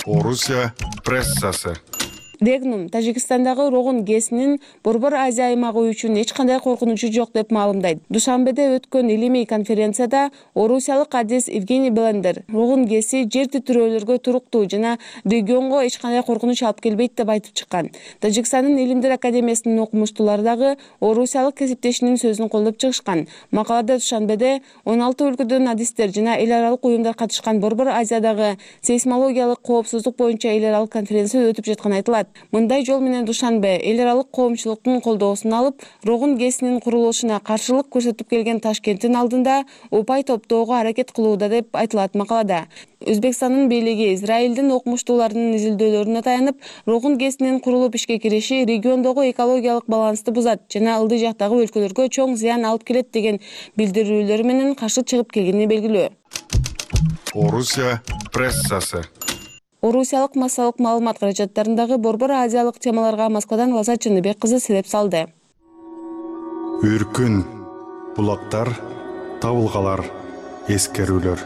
Орусия прессасы. Регнум Тажикстандагы Рогун ГЭСинин Борбор Азия аймагы үчүн эч кандай коркунучу жок деп маалымдайт. Душанбеде өткөн илимий конференцияда орусиялык адис Евгений Блендер Рогун ГЭСи жер титирөөлөргө туруктуу жана регионго эч кандай коркунуч алып келбейт деп айтып чыккан. Тажикстандын Илимдер академиясынын окумуштуулары дагы орусиялык кесиптешинин сөзүн колдоп чыгышкан. Макалада Душанбеде он алты өлкөдөн адистер жана эл аралык уюмдар катышкан Борбор Азиядагы сейсмологиялык коопсуздук боюнча эл аралык конференция өтүп жатканы айтылат. Мындай жол менен Душанбе эл аралык коомчулуктун колдоосун алып, Рогун ГЭСинин курулушуна каршылык көрсөтүп келген Ташкенттин алдында упай топтоого аракет кылууда деп айтылат макалада. Өзбекстандын бийлиги Израилдин окумуштууларынын изилдөөлөрүнө таянып, Рогун ГЭСинин курулуп ишке кириши региондогу экологиялык балансты бузат жана ылдый жактагы өлкөлөргө чоң зыян алып келет деген билдирүүлөр менен каршы чыгып келгени белгилүү. Орусия прессасы. Орусиялык массалык маалымат каражаттарындагы Борбор Азиялык темаларга Москвадан Лаза Чыныбек кызы себеп салды. Үркүн, булактар, табылгалар, эскерүүлөр.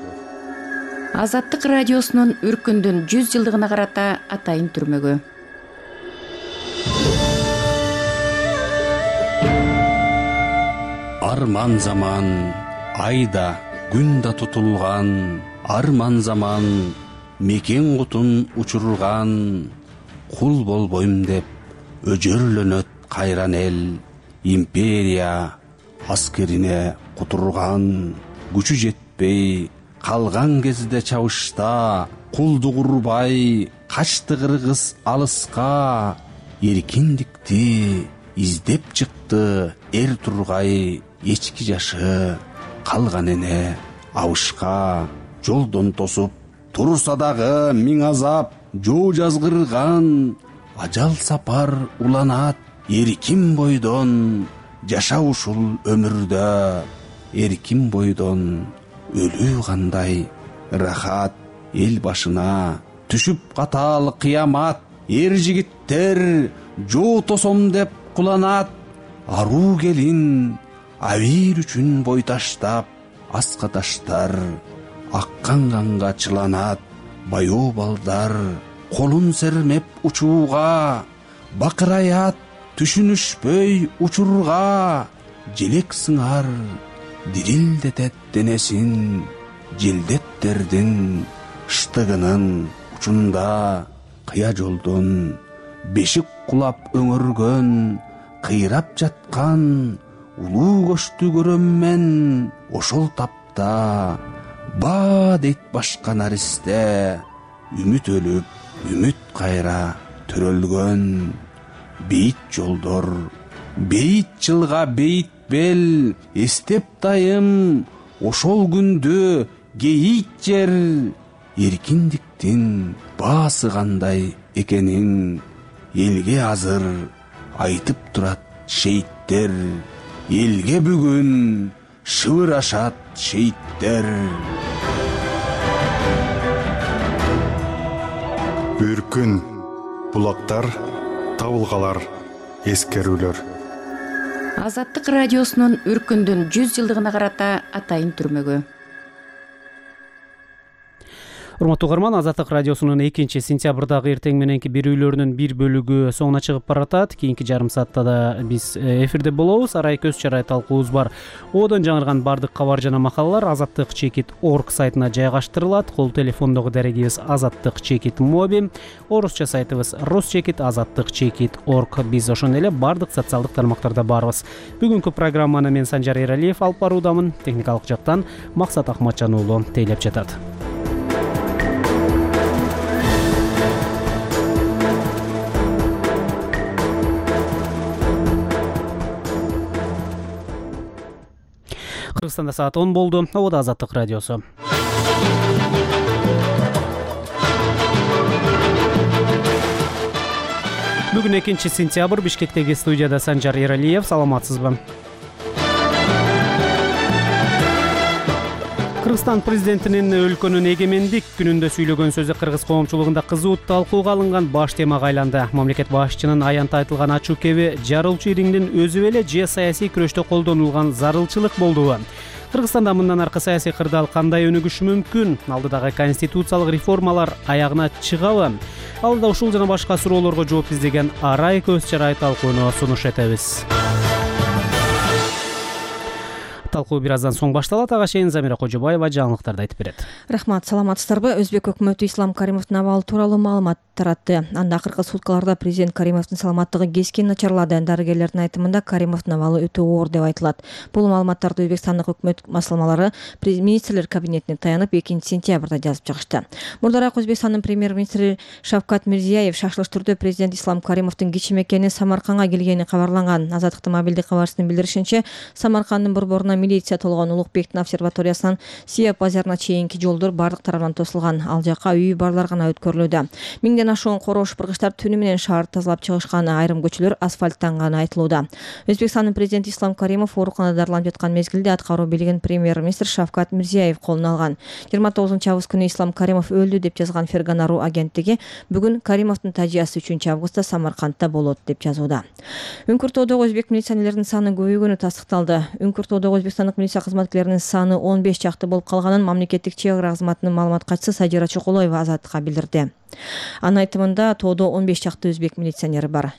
Азаттык радиосунун Үркүндүн жүз жылдыгына карата атайын түрмөгү. Арман заман, айда, күн да тутулган, арман заман, мекен кутун учурган, кул болбойм деп өжөрлөнөт кайран эл, империя аскерине кутурган, күчү жетпей калган кезде чабышта, кулдук урбай качты кыргыз алыска, эркиндикти издеп чыкты эр тургай эчки жашы, калган эне абышка, жолдон тосуп турса дагы миң азап, жоо жазгырган, ажал сапар уланат, эркин бойдон жаша ушул өмүрдө, эркин бойдон өлүү кандай рахат, эл башына түшүп катал кыямат, эр жигиттер жоо тосом деп куланат, аруу келин абийир үчүн бой таштап, аска таштар аккан канга чыланат, баяу балдар колун сермеп учууга, бакыраят түшүнүшпөй учурга, желек сыңар дирилдетет денесин, желдеттердин штыгынын учунда, кыя жолдон бешик кулап өңөргөн, кыйрап жаткан улуу көчтү көрөм мен ошол тапта. Ба дейт башка наристе, үмүт өлүп, үмүт кайра төрөлгөн, бейит жолдор, бейит жылга бейит бел, эстеп дайым ошол күндү кейит жер, эркиндиктин баасы кандай экенин элге азыр айтып турат шейиттер, элге бүгүн шыбырашат шейиттер. Үркүн, булактар, табылгалар, эскерүүлөр. Азаттык радиосунун Үркүндүн жүз жылдыгына карата атайын түрмөгү. Урматтуу угарман, Азаттык радиосунун экинчи сентябрдагы эртең мененки берүүлөрүнүн бир бөлүгү соңуна чыгып баратат. Кийинки жарым саатта да биз эфирде болобуз. Арай көз чарай талкуубуз бар. Одон жаңырган бардык кабар жана макалалар азаттык чекит орг сайтына жайгаштырылат. Кол телефондогу дарегибиз азаттык чекит моби, орусча сайтыбыз русчекит азаттык чекит орг. Биз ошондой эле бардык социалдык тармактарда барбыз. Бүгүнкү программаны мен Санжар Эралиев алып баруудамын. Техникалык жактан Максат Ахматжан уулу тейлеп жатат. Кыргызстанда саат он болду. Обода Азаттык радиосу. Бүгүн экинчи сентябрь, Бишкектеги студияда Санжар Эралиев. Саламатсызбы? Кыргызстан президентинин өлкөнүн эгемендик күнүндө сүйлөгөн сөзү кыргыз коомчулугунда кызуу талкууга алынган баш темага айланды. Мамлекет башчынын аянтта айтылган ачуу кеби жарылчу ириңдин өзү беле же саясий күрөштө колдонулган зарылчылык болдубу? Кыргызстанда мындан аркы саясий кырдаал кандай өнүгүшү мүмкүн? Алдыдагы конституциялык реформалар аягына чыгабы? Алдыда ушул жана башка суроолорго жооп издеген Арай көз чарай талкууну сунуш этебиз. Талкуу бир аздан соң башталат. Ага чейин Замира Кожобаева жаңылыктарды айтып берет. Рахмат, саламатсыздарбы? Өзбек өкмөтү Ислам Каримовдун абалы тууралуу маалымат таратты. Анда акыркы суткаларда президент Каримовдун саламаттыгы кескин начарлады. Дарыгерлердин айтымында Каримовдун абалы өтө оор деп айтылат. Бул маалыматтарды Өзбекстандык өкмөт маслымалары министрлер кабинетине таянып экинчи сентябрда жазып чыгышты. Мурдараак Өзбекстандын премьер-министри Шавкат Мирзиёев шашылыш түрдө президент Ислам Каримовдун кичи мекени Самарканга келгени кабарланган. Азаттыктын мобилдик кабарчысынын билдиришинче, Самаркандын борборуна милиция толгон Улукбектин обсерваториясынан Сия базарына чейинки жолдор бардык тарабынан тосулган. Ал жака үйү барлар гана өткөрүлүүдө. Миңден ашуун короо шыпыргычтар түнү менен шаарды тазалап чыгышкан, айрым көчөлөр асфальттанганы айтылууда. Өзбекстандын президенти Ислам Каримов ооруканада дарыланып жаткан мезгилде аткаруу бийлигин премьер-министр Шавкат Мирзиёев колуна алган. жыйырма тогузунчу август күнү Ислам Каримов өлдү деп жазган Ферганару агенттиги бүгүн Каримовдун тажыясы үчүнчү августта Самаркандта болот деп жазууда. Үңкүртоодогу өзбек милиционерлеринин саны көбөйгөнү тастыкталды. Үңкүртоодогу өзбекстандык милиция кызматкерлеринин саны он беш чакты болуп калганын мамлекеттик чек ара кызматынын маалымат катчысы Садира Чокулоева Азаттыкка билдирди. Анын айтымында тоодо он беш чакты өзбек милиционери бар.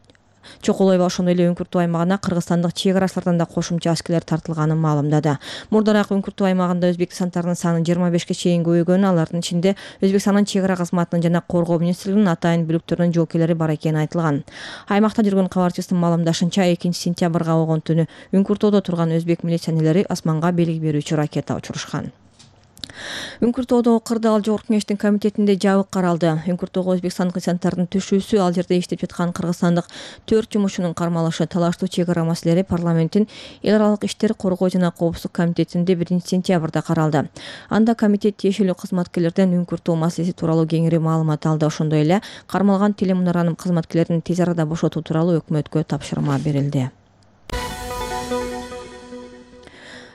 Чокулоева ошондой эле Үңкүртөө аймагына кыргызстандык чек арачылардан да кошумча аскерлер тартылганын маалымдады. Мурдараак Үңкүртөө аймагында өзбек десанттарынын саны жыйырма бешке чейин көбөйгөнү, алардын ичинде Өзбекстандын чек ара кызматынын жана коргоо министрлигинин атайын бүлүктөрүнүн жоокерлери бар экени айтылган. Аймакта жүргөн кабарчысынын маалымдашынча, экинчи сентябрга болгон түнү Үңкүртөөдө турган өзбек милиционерлери асманга белги берүүчү ракета учурушкан. Үңкүртөодогу кырдаал жогорку кеңештин комитетинде жабык каралды. Үңкүртөөгө өзбекстандык десанттардын түшүүсү, ал жерде иштеп жаткан кыргызстандык төрт жумушчунун кармалышы, талаштуу чек ара маселелери парламенттин эл аралык иштер, коргоо жана коопсуздук комитетинде биринчи сентябрда каралды. Анда комитет тиешелүү кызматкерлерден Үңкүртөө маселеси тууралуу кеңири маалымат алды. Ошондой эле кармалган телемунаранын кызматкерлерин тез арада бошотуу тууралуу өкмөткө тапшырма берилди.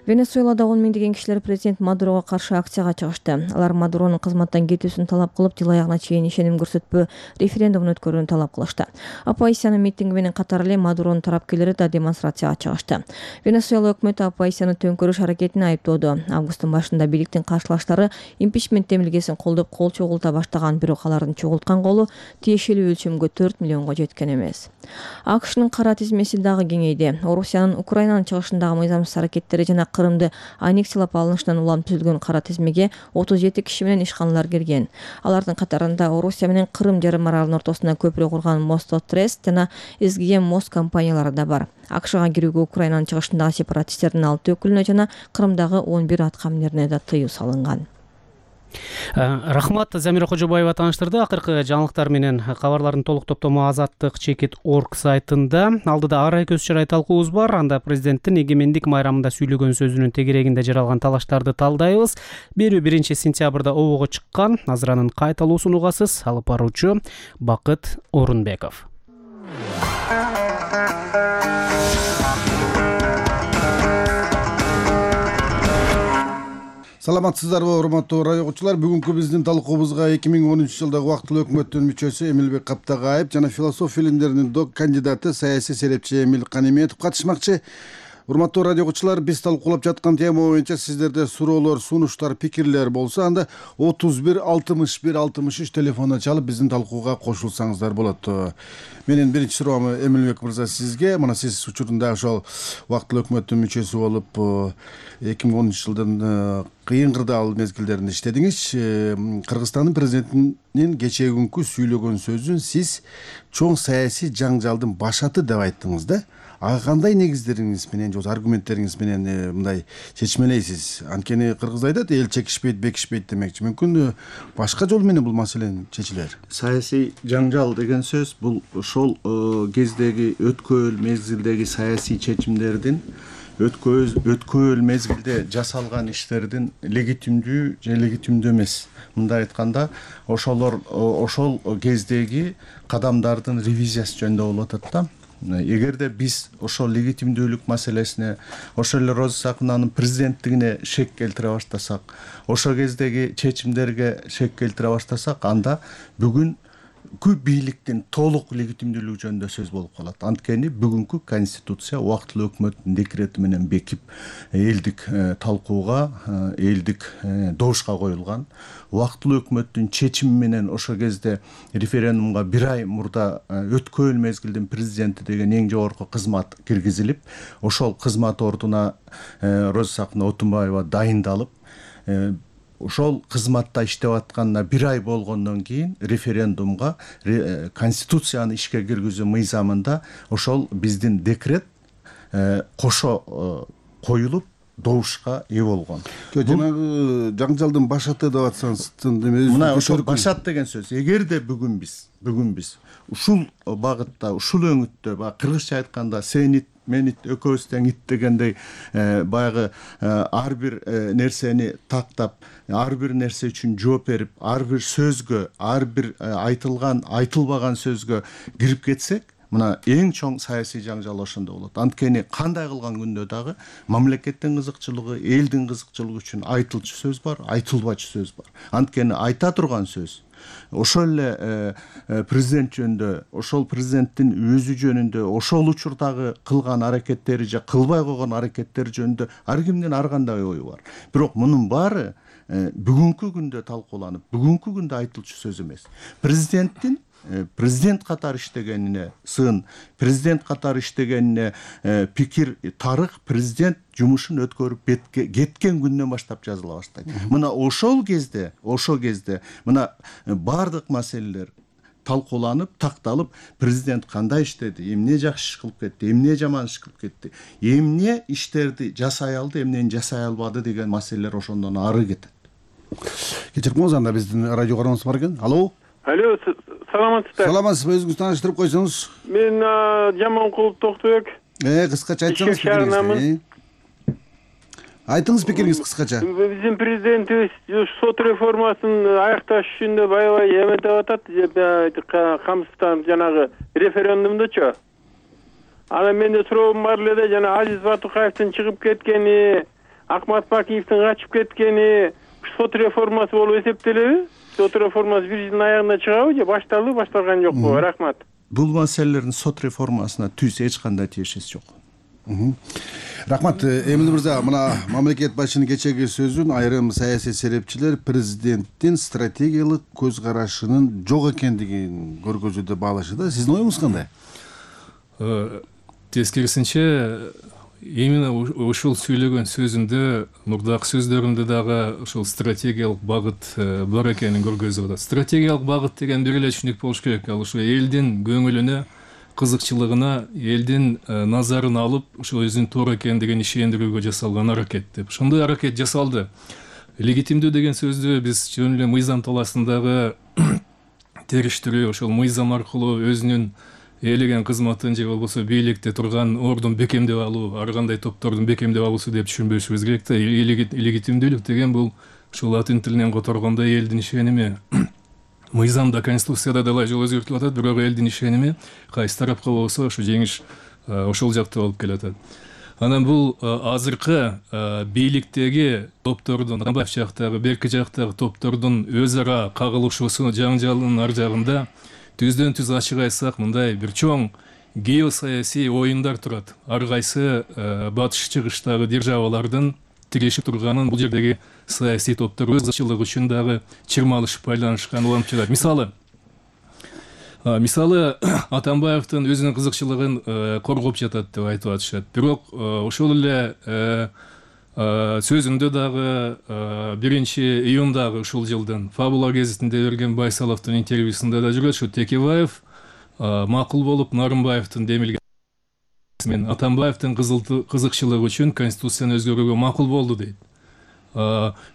Венесуэлада он миңдеген кишилер президент Мадурого каршы акцияга чыгышты. Алар Мадуронун кызматтан кетүүсүн талап кылып, жыл аягына чейин ишеним көрсөтпөө референдумун өткөрүүнү талап кылышты. Оппозициянын митинги менен катар эле Мадуронун тарапкерлери да демонстрацияга чыгышты. Венесуэла өкмөтү оппозицияны төңкөрүш аракетине айыптоодо. Августтун башында бийликтин каршылаштары импичмент демилгесин колдоп кол чогулта баштаган, бирок алардын чогулткан колу тиешелүү өлчөмгө төрт миллионго жеткен эмес. АКШнын кара тизмеси дагы кеңейди. Орусиянын Украинанын чыгышындагы мыйзамсыз аракеттери жана Кырымды аннексиялап алынышынан улам түзүлгөн кара тизмеге отуз жети киши менен ишканалар кирген. Алардын катарында Орусия менен Кырым жарым аралынын ортосуна көпүрө курган Мостотрест жана эс джи эм мост компаниялары да бар. АКШга кирүүгө Украинанын чыгышындагы сепаратисттердин алты өкүлүнө жана Кырымдагы он бир атка минерине да тыюу салынган. Рахмат, Замира Кожобаева тааныштырды. Акыркы жаңылыктар менен кабарлардын толук топтому азаттык чекит орг сайтында. Алдыда Арай көз чарай талкуубуз бар. Анда президенттин эгемендик майрамында сүйлөгөн сөзүнүн тегерегинде жаралган талаштарды талдайбыз. Берүү биринчи сентябрда обого чыккан. Азыранын кайталуусун угасыз. Алып баруучу Бакыт Орунбеков. Саламатсыздарбы, урматтуу радио угуучулар. Бүгүнкү биздин талкуубузга эки миң онунчу жылдагы убактылуу өкмөттүн мүчөсү Эмилбек Каптагаев жана философия илимдеринин док кандидаты саясий серепчи Эмил Каниметов катышмакчы. Урматтуу радио угуучулар, биз талкуулап жаткан тема боюнча сиздерде суроолор, сунуштар, пикирлер болсо, анда отуз бир алтымыш бир алтымыш үч телефонуна чалып биздин талкууга кошулсаңыздар болот. Менин биринчи суроом Эмилбек мырза сизге. Мына сиз учурунда ошол убактылуу өкмөттүн мүчөсү болуп эки миң онунчу жылдын кыйын кырдаал мезгилдеринде иштедиңиз. Кыргызстандын президентинин кечеги сүйлөгөн сөзүн сиз чоң саясий жаңжалдын башаты деп айттыңыз да. Ага кандай негиздериңиз менен же аргументтериңиз менен мындай чечмелейсиз? Анткени кыргыз айтат, эл чекишпейт, бекишпейт демекчи. Мүмкүн башка жол менен бул маселени чечилер. Саясий жаңжал деген сөз бул ошол кездеги өткөөл мезгилдеги саясий чечимдердин өткөөл мезгилде жасалган иштердин легитимдүү же легитимдүү эмес. Мындай айтканда, ошолор ошол кездеги кадамдардын ревизиясы жөнүндө болуп атат да. Эгерде биз ошол легитимдүүлүк маселесине, ошол эле Роза Сакыновнун президенттигине шек келтире баштасак, ошол кездеги чечимдерге шек келтире баштасак, анда бүгүн кү бийликтин толук легитимдүүлүгү жөнүндө сөз болуп калат. Анткени бүгүнкү конституция убактылуу өкмөттүн декрети менен бекип, элдик талкууга, элдик добушка коюлган. Убактылуу өкмөттүн чечими менен ошол кезде референдумга бир ай мурда өткөөл мезгилдин президенти деген эң жогорку кызмат киргизилип, ошол кызмат ордуна Роза Сакынова Отунбаева дайындалып, ошол кызматта иштеп атканына бир ай болгондон кийин референдумга конституцияны ишке киргизүү мыйзамында ошол биздин декрет кошо коюлуп добушка ээ болгон. Жанагы жаңжалдын башаты деп атсаңыз, мына ошол башат деген сөз. Эгерде бүгүн биз, бүгүн биз ушул багытта, ушул өңүттө, баягы кыргызча айтканда сенит менит экөөбүз тең ит дегендей баягы ар бир нерсени тактап, ар бир нерсе үчүн жооп берип, ар бир сөзгө, ар бир айтылган, айтылбаган сөзгө кирип кетсек, мына эң чоң саясий жаңжал ошондо болот. Анткени кандай кылган күндө дагы мамлекеттин кызыкчылыгы, элдин кызыкчылыгы үчүн айтылчу сөз бар, айтылбачу сөз бар. Анткени айта турган сөз ошол эле президент жөнүндө, ошол президенттин өзү жөнүндө, ошол учурдагы кылган аракеттери же кылбай койгон аракеттери жөнүндө ар кимдин ар кандай ою бар. Бирок мунун баары бүгүнкү күндө талкууланып, бүгүнкү күндө айтылчу сөз эмес. Президенттин президент катары иштегенине сын, президент катары иштегенине пикир, тарых президент жумушун өткөрүп кеткен күндөн баштап жазыла баштайт. Мына ошол кезде, ошол кезде мына бардык маселелер талкууланып, такталып, президент кандай иштеди, эмне жакшы иш кылып кетти, эмне жаман иш кылып кетти, эмне иштерди жасай алды, эмнени жасай албады деген маселелер ошондон ары кетет. Кечириңиз, анда биздин радио карообуз бар экен. Алло. Алло, саламатсызбы? Саламатсызбы, өзүңүздү тааныштырып койсоңуз. Мен Жаманкулов Токтобек. Э, кыскача айтсаңыз пикириңизди. Айтыңыз пикириңиз кыскача. Биздин президентибиз сот реформасын аякташ үчүн деп аябай эметип атат, камсыздап жанагы референдумдучу. Анан менде суроом бар эле, жана Азиз Батукаевдин чыгып кеткени, Акмат Бакиевдин качып кеткени сот реформасы болуп эсептелеби? Сот реформасы бир жылдын аягында чыгабы же башталды, башталган жокпу? Рахмат. Бул маселелердин сот реформасына түз эч кандай тиешеси жок. Рахмат. Эмил мырза, мына мамлекет башчынын кечеги сөзүн айрым саясий серепчилер президенттин стратегиялык көз карашынын жок экендигин көргөзүүдө баалашты да. Сиздин оюңуз кандай? Тескерисинче, именно ушул сүйлөгөн сөзүндө, мурдакы сөздөрүндө дагы ушул стратегиялык багыт бар экенин көргөзүп атат. Стратегиялык багыт деген бир эле түшүнүк болуш керек. Ал ушу элдин көңүлүнө, кызыкчылыгына, элдин назарын алып, ушул өзүнүн туура экендигин ишендирүүгө жасалган аракет деп. Ошондой аракет жасалды. Легитимдүү деген сөздү биз жөн эле мыйзам талаасындагы териштирүү, ошол мыйзам аркылуу өзүнүн ээлеген кызматын же болбосо бийликте турган ордун бекемдеп алуу, ар кандай топтордун бекемдеп алуусу деп түшүнбөшүбүз керек да. Легитимдүүлүк деген бул ушул латын тилинен которгондо элдин ишеними. Мыйзамда, конституцияда далай жол өзгөртүлүп атат, бирок элдин ишеними кайсы тарапка болсо ошо жеңиш ошол жакта болуп келатат. Анан бул азыркы бийликтеги топтордун, Атамбаев жактагы, берки жактагы топтордун өз ара кагылышуусу, жаңжалынын ар жагында түздөн түз ачык айтсак, мындай бир чоң геосаясий оюндар турат. Ар кайсы батыш чыгыштагы державалардын тирешип турганын бул жердеги саясий топтор өз кызыкчылыгы үчүн дагы чырмалышып байланышкан уланып жатат. Мисалы мисалы Атамбаевдин өзүнүн кызыкчылыгын коргоп жатат деп айтып атышат. Бирок ошол эле сөзүндө дагы биринчи июндагы ушул жылдын Фабула гезитинде берген Байсаловдун интервьюсунда да жүрөт, ушу Текебаев макул болуп Нарымбаевдин демилген мен Атамбаевдин кызыкчылыгы үчүн конституцияны өзгөрүүгө макул болду дейт.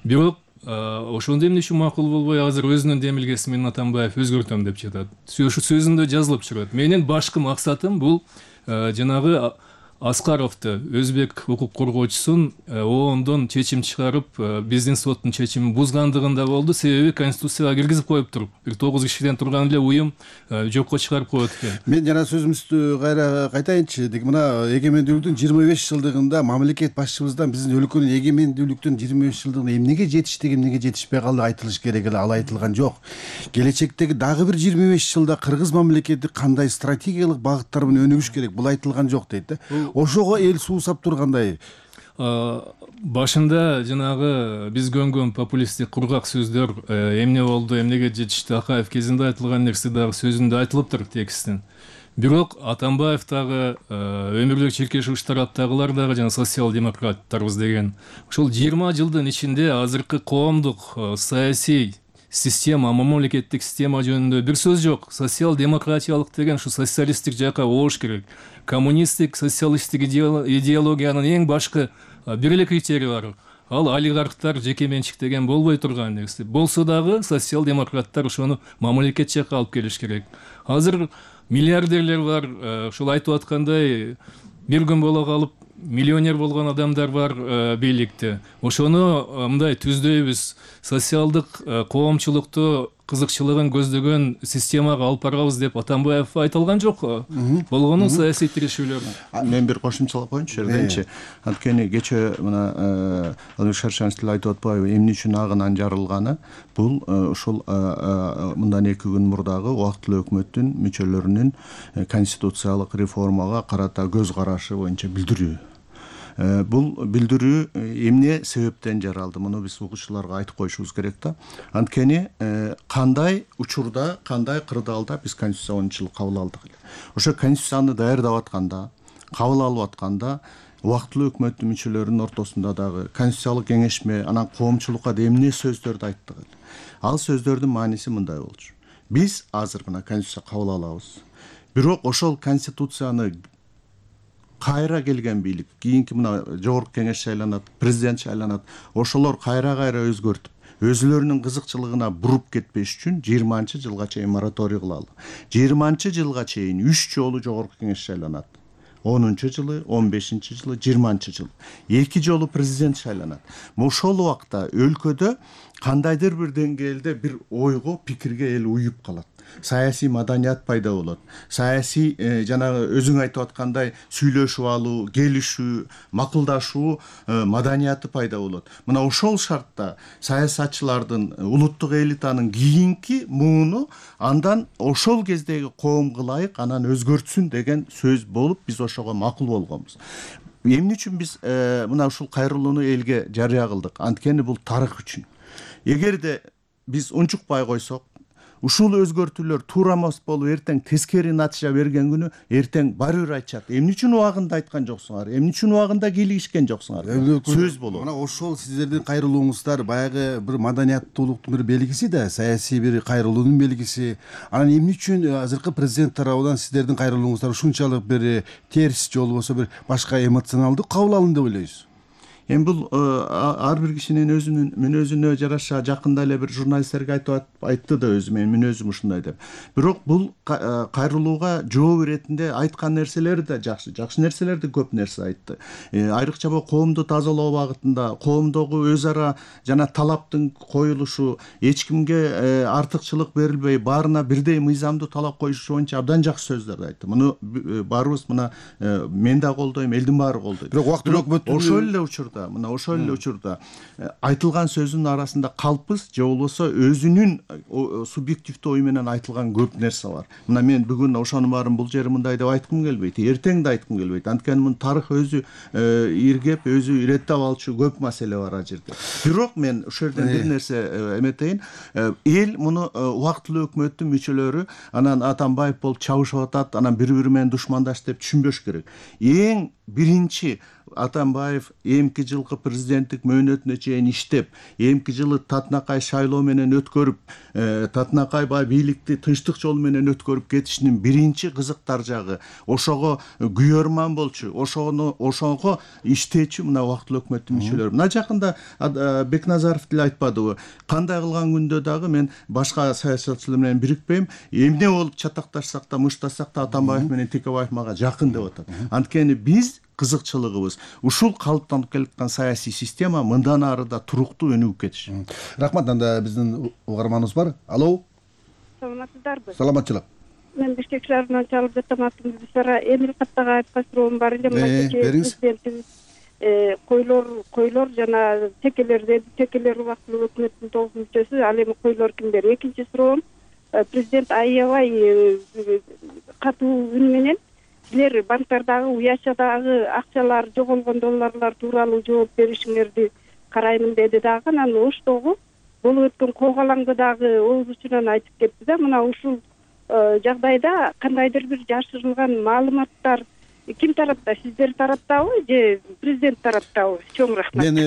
Бирок ошондо эмне үчүн макул болбой азыр өзүнүн демилгеси менен Атамбаев өзгөртөм деп жатат. Ушу сөзүндө жазылып чыгат. Менин башкы максатым бул жанагы Аскаровду, өзбек укук коргоочусун оондон чечим чыгарып, биздин соттун чечимин бузгандыгында болду. Себеби конституцияга киргизип коюп туруп, бир тогуз кишиден турган эле уюм жокко чыгарып коет экен. Мен жана сөзүмүздү кайра кайтайынчы. Мына эгемендүүлүктүн жыйырма беш жылдыгында мамлекет башчыбыздан биздин өлкөнүн эгемендүүлүктүн жыйырма беш жылдыгында эмнеге жетиштиги, эмнеге жетишпей калды айтылыш керек эле, ал айтылган жок. Келечектеги дагы бир жыйырма беш жылда кыргыз мамлекети кандай стратегиялык багыттар менен өнүгүш керек, бул айтылган жок дейт да. Ошого эл суусап тургандай. Башында жанагы биз көнгөн популисттик кургак сөздөр эмне болду, эмнеге жетишти, Акаев кезинде айтылган нерсе дагы сөзүндө айтылыптыр текстин. Бирок Атамбаев дагы өмүрлүк чиркешүүчү тараптагылар дагы жана социал-демократтарбыз деген ошол жыйырма жылдын ичинде азыркы коомдук саясий система, мамлекеттик система жөнүндө бир сөз жок. Социал-демократиялык деген ушу социалисттик жакка оош керек. Коммунисттик, социалисттик идеологиянын эң башкы бир эле критерии бар. Ал олигархтар, жеке менчик деген болбой турган нерсе. Болсо дагы социал-демократтар ошону мамлекет жакка алып келиш керек. Азыр миллиардерлер бар, ушул айтып аткандай бир күн боло калып миллионер болгон адамдар бар бийликте. Ошону мындай түздөйбүз, социалдык коомчулукту кызыкчылыгын көздөгөн системага алып барабыз деп Атамбаев айтылган жок. Болгону саясий тирешүүлөр. Мен бир кошумчалап коеюнчу жерденчи. Анткени кече мына Албек Шаршанович айтып атпайбы, эмне үчүн агынан жарылганы? Бул ушул мындан эки күн мурдагы убактылуу өкмөттүн мүчөлөрүнүн конституциялык реформага карата көз карашы боюнча билдирүү. Бул билдирүү эмне себептен жаралды, муну биз угуучуларга айтып коюшубуз керек да. Анткени кандай учурда, кандай кырдаалда биз конституция онунчу жылы кабыл алдык эле. Ошо конституцияны даярдап атканда, кабыл алып атканда убактылуу өкмөттүн мүчөлөрүнүн ортосунда дагы конституциялык кеңешме, анан коомчулукка да эмне сөздөрдү айттык эле. Ал сөздөрдүн мааниси мындай болчу. Биз азыр мына конституция кабыл алабыз. Бирок ошол конституцияны кайра келген бийлик, кийинки мына жогорку кеңеш шайланат, президент шайланат, ошолор кайра-кайра өзгөртүп, өзүлөрүнүн кызыкчылыгына буруп кетпеш үчүн жыйырманчы жылга чейин мораторий кылалы. жыйырманчы жылга чейин үч жолу жогорку кеңеш шайланат. онунчу жылы, он бешинчи жылы, жыйырманчы жыл. эки жолу президент шайланат. Ошол убакта өлкөдө кандайдыр бир деңгээлде бир ойго, пикирге эл уюп калат. Саясий маданият пайда болот. Саясий жанагы өзүң айтып аткандай сүйлөшүп алуу, келишүү, макулдашуу маданияты пайда болот. Мына ошол шартта саясатчылардын, улуттук элитанын кийинки мууну андан ошол кездеги коомго ылайык анан өзгөртсүн деген сөз болуп, биз ошого макул болгонбуз. Эмне үчүн биз мына ушул кайрылууну элге жарыя кылдык? Анткени бул тарых үчүн. Эгерде биз унчукпай койсок, ушул өзгөртүүлөр туура эмес болуп, эртең тескери натыйжа берген күнү эртең баары бир айтышат. Эмне үчүн убагында айткан жоксуңар? Эмне үчүн убагында кийлигишкен жоксуңар? Сөз болот. Мына ошол сиздердин кайрылууңуздар баягы бир маданияттуулуктун бир белгиси да, саясий бир кайрылуунун белгиси. Анан эмне үчүн азыркы президент тарабынан сиздердин кайрылууңуздар ушунчалык бир терс же болбосо бир башка эмоционалдуу кабыл алынды деп ойлойсуз? Эми бул ар бир кишинин өзүнүн мүнөзүнө жараша, жакында эле бир журналисттерге айтып айтты да өзү, мен мүнөзүм ушундай деп. Бирок бул кайрылууга жооп иретинде айткан нерселери да жакшы, жакшы нерселерди көп нерсе айтты. Айрыкча бул коомду тазалоо багытында, коомдогу өз ара жана талаптын коюлушу, эч кимге артыкчылык берилбей, баарына бирдей мыйзамдуу талап коюшу боюнча абдан жакшы сөздөрдү айтты. Муну баарыбыз мына мен да колдойм, элдин баары колдойт. Бирок убактылуу өкмөттүн ошол эле учурда учурда мына ошол эле учурда айтылган сөзүнүн арасында калппыз же болбосо өзүнүн субъективдүү ою менен айтылган көп нерсе бар. Мына мен бүгүн ошонун баарын бул жери мындай деп айткым келбейт, эртең да айткым келбейт. Анткени мунун тарых өзү иргеп, өзү иреттеп алчу көп маселе бар ал жерде. Бирок мен ошол жерден бир нерсе эметейин. Эл муну убактылуу өкмөттүн мүчөлөрү анан Атамбаев болуп чабышып атат, анан бири-бири менен душмандаш деп түшүнбөш керек. Эң биринчи Атамбаев эмки жылкы президенттик мөөнөтүнө чейин иштеп, эмки жылы татынакай шайлоо менен өткөрүп, татынакай баягы бийликти тынчтык жолу менен өткөрүп кетишинин биринчи кызыктар жагы ошого күйөрман болчу, ошону ошого иштечү мына убактылуу өкмөттүн мүчөлөрү. Мына жакында Бекназаров деле айтпадыбы? Кандай кылган күндө дагы мен башка саясатчылар менен бирикпейм, эмне болуп чатакташсак да, мыштасак да Атамбаев менен Текебаев мага жакын деп атат. Анткени биз кызыкчылыгыбыз ушул калыптанып келаткан саясий система мындан ары да туруктуу өнүгүп кетиш. Рахмат. Анда биздин угарманыбыз бар. Алло. Саламатсыздарбы? Саламатчылык. Мен Бишкек шаарынан чалып жатам. Атым Бисара. Эмил Каттага айткан суроом бар эле. Президентибиз койлор койлор жана текелерде текелер убактылуу өкмөттүн толук мүчөсү. Ал эми койлор кимдер? Экинчи суроом, президент аябай катуу үн менен силер банктардагы уячадагы акчалар, жоголгон долларлар тууралуу жооп беришиңерди караймын деди дагы. Анан Оштогу болуп өткөн коогалаңды дагы ооз учунан айтып кетти да. Мына ушул жагдайда кандайдыр бир жашырылган маалыматтар ким тарапта? Сиздер тараптабы же президент тараптабы? Чоң рахмат. Мен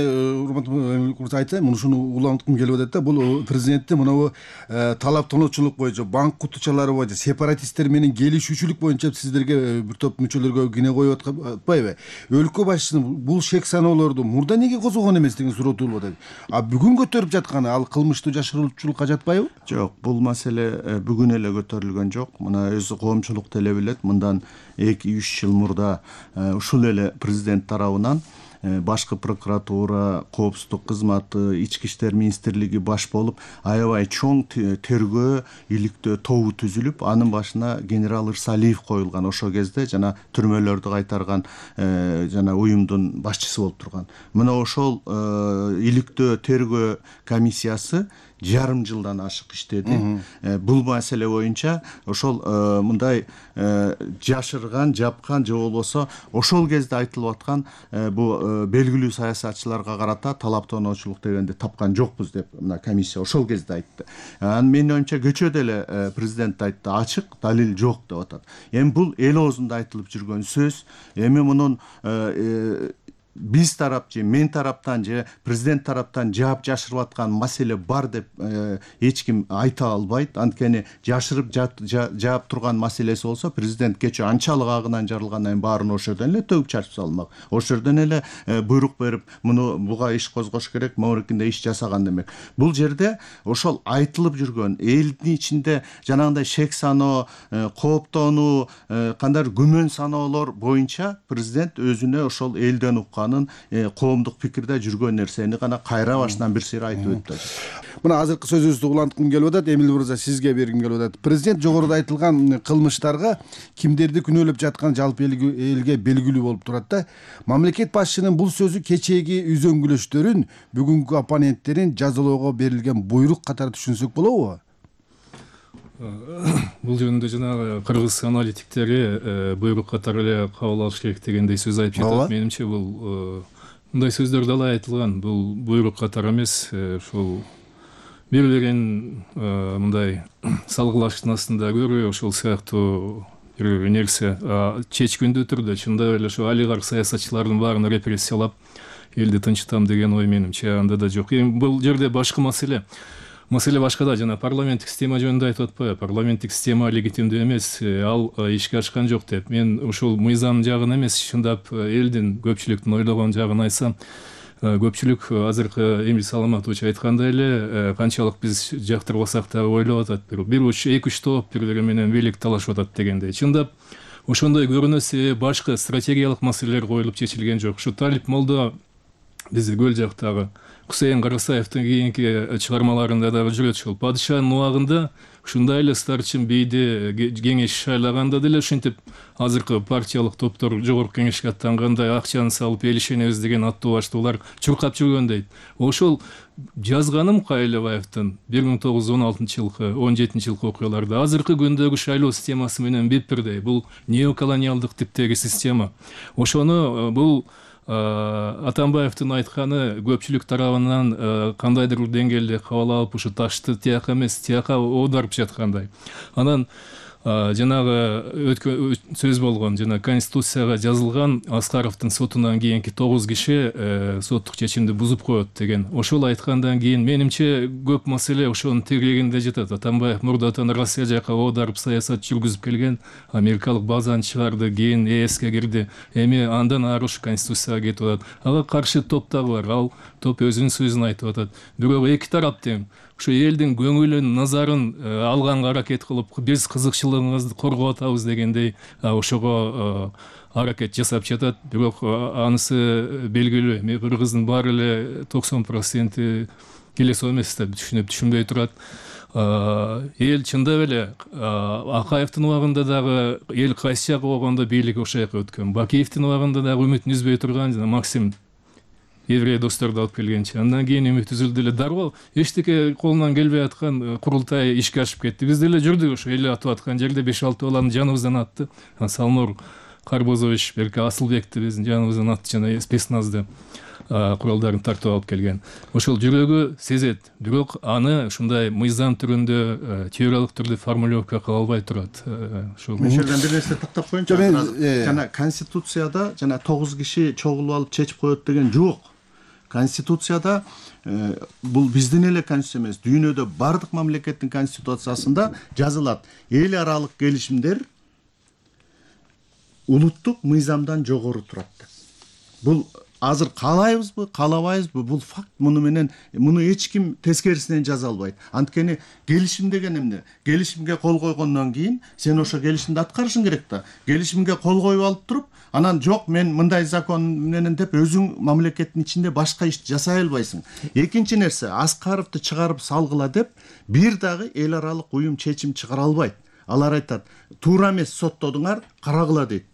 урматтуу айтайын, ушуну уланткым келип атат да. Бул президенттин мына талаптануучулук боюнча, банк кутучалары боюнча, сепаратисттер менен келишүүчүлүк боюнча сиздерге бир топ мүчөлөргө кине коюп атпайбы? Өлкө башчысынын бул шек саноолорду мурда эмнеге козгогон эмес деген суроо туулуп атат. А бүгүн көтөрүп жатканы ал кылмыштуу жашыруучулукка жатпайбы? Жок, бул маселе бүгүн эле көтөрүлгөн жок. Мына өзү коомчулук деле билет. Мындан эки үч жыл мурда ушул эле президент тарабынан башкы прокуратура, коопсуздук кызматы, ички иштер министрлиги баш болуп аябай чоң тергөө иликтөө тобу түзүлүп, анын башына генерал Ырсалиев коюлган. Ошол кезде жана түрмөлөрдү кайтарган жана уюмдун башчысы болуп турган. Мына ошол иликтөө тергөө комиссиясы жарым жылдан ашык иштеди. Бул маселе боюнча ошол мындай жашырган, жапкан же болбосо ошол кезде айтылып аткан бул белгилүү саясатчыларга карата талаптануучулук дегенди тапкан жокпуз деп мына комиссия ошол кезде айтты. Анан менин оюмча көчөдө эле президент айтты, ачык далил жок деп атат. Эми бул эл оозунда айтылып жүргөн сөз. Эми мунун биз тарап же мен тараптан же президент тараптан жаап жашырып аткан маселе бар деп эч ким айта албайт. Анткени жашырып жаап турган маселеси болсо президент кечээ анчалык агынан жарылгандан кийин баарын ошол жерден эле төгүп чачып салмак. Ошол жерден эле буйрук берип муну буга иш козгош керек, моорикинде иш жасаган демек. Бул жерде ошол айтылып жүргөн элдин ичинде жанагындай шек саноо, кооптонуу, кандай күмөн саноолор боюнча президент өзүнө ошол элден уккан коомдук пикирде жүргөн нерсени гана кайра башынан бир сыйра айтып өттү. Мына азыркы сөзүбүздү уланткым келип атат. Эмил мырза, сизге бергим келип атат. Президент жогоруда айтылган кылмыштарга кимдерди күнөөлөп жатканы жалпы элге белгилүү болуп турат да. Мамлекет башчынын бул сөзү кечээги үзөңгүлөштөрүн, бүгүнкү оппоненттерин жазалоого берилген буйрук катары түшүнсөк болобу? Бул жөнүндө жанагы кыргыз аналитиктери буйрук катары эле кабыл алыш керек дегендей сөз айтып жатат. Менимче бул мындай сөздөр далай айтылган. Бул буйрук катары эмес, ушул бири бирин мындай салгылаштын астында көрүү, ошол сыяктуу бир нерсе чечкиндүү түрдө чындап эле ошо олигарх саясатчылардын баарын репрессиялап элди тынчтам деген ой менимче анда да жок. Эми бул жерде башка маселе. Маселе башкада, жана парламенттик система жөнүндө айтып атпайбы? Парламенттик система легитимдүү эмес, ал ишке ашкан жок деп. Мен ушул мыйзам жагын эмес, чындап элдин, көпчүлүктүн ойлогон жагын айтсам, көпчүлүк азыркы Эмил Саламатович айткандай эле канчалык биз жактырбасак да ойлоп атат. Бир уч, эки үч топ бири бири менен бийлик талашып атат дегендей. Чындап ошондой көрүнүү себеби башка стратегиялык маселелер коюлуп чечилген жок. Ушу Талип молдо бизди көл жактагы Кусейин Карасаевдин кийинки чыгармаларында дагы жүрөт ушул. Падышанын убагында ушундай эле старчын бийди кеңеш шайлаганда деле ушинтип азыркы партиялык топтор жогорку кеңешке аттангандай акчаны салып элишенебиз деген аттуу баштуулар чуркап жүргөн дейт. Ошол жазганым Кайлыбаевдин бир миң тогуз жүз он алтынчы жылкы он жетинчи жылкы окуяларда азыркы күндөгү шайлоо системасы менен бетбирдей. Бул неоколониалдык типтеги система. Ошону бул Атамбаевдин айтканы көпчүлүк тарабынан кандайдыр бир деңгээлде кабыл алып ушу ташты тияка эмес тияка оодарып жаткандай. Анан жанагы өткөн сөз болгон жана конституцияга жазылган Аскаровдун сотунан кийинки тогуз киши соттук чечимди бузуп коет деген. Ошол айткандан кийин менимче көп маселе ошонун тегерегинде жатат. Атамбаев мурдатан Россия жака оодарып саясат жүргүзүп келген, америкалык базаны чыгарды, кийин ЭСке кирди. Эми андан ары ушу конституцияга кетип атат. Ага каршы топ дагы бар. Ал топ өзүнүн сөзүн айтып атат. Бирок эки тарап тең ушу элдин көңүлүн, назарын алганга аракет кылып, биз кызыкчылыгыңызды коргоп атабыз дегендей ошого аракет жасап жатат. Бирок анысы белгилүү. Эми кыргыздын баары эле токсон проценти келесо эмес деп түшүнүп түшүнбөй турат. Эл чындап эле Акаевдин убагында дагы эл кайсы жакка болгондо бийлик ошол жака өткөн. Бакиевдин убагында дагы үмүтүн үзбөй турган жана Максим еврей досторду алып келгенче. Андан кийин үмүт үзүлдү эле. Дароо эчтеке колунан келбей аткан курултай ишке ашып кетти. Биз деле жүрдүк ошо эл атып аткан жерде беш алты баланы жаныбыздан атты. Салмур Карбозович, Берке Асылбекти биздин жаныбыздан атты жана спецназды куралдарын тартып алып келген. Ошол жүрөгү сезет. Бирок аны ушундай мыйзам түрүндө, теориялык түрдө формулировка кыла албай турат. Ошол Мешелден бир нерсе тактап коеюнчу. Жана конституцияда жана тогуз киши чогулуп алып чечип коет деген жок. Конституцияда бул биздин эле конституция эмес, дүйнөдө бардык мамлекеттин конституциясында жазылат. Эл аралык келишимдер улуттук мыйзамдан жогору турат. Бул азыр каалайбызбы, каалабайбызбы, бул факт. Муну менен муну эч ким тескерисинен жаза албайт. Анткени келишим деген эмне? Келишимге кол койгондон кийин сен ошо келишимди аткарышың керек да. Келишимге кол коюп алып туруп, анан жок мен мындай закон менен деп өзүң мамлекеттин ичинде башка иш жасай албайсың. Экинчи нерсе, Аскаровду чыгарып салгыла деп бир дагы эл аралык уюм чечим чыгара албайт. Алар айтат, туура эмес соттодуңар, карагыла дейт.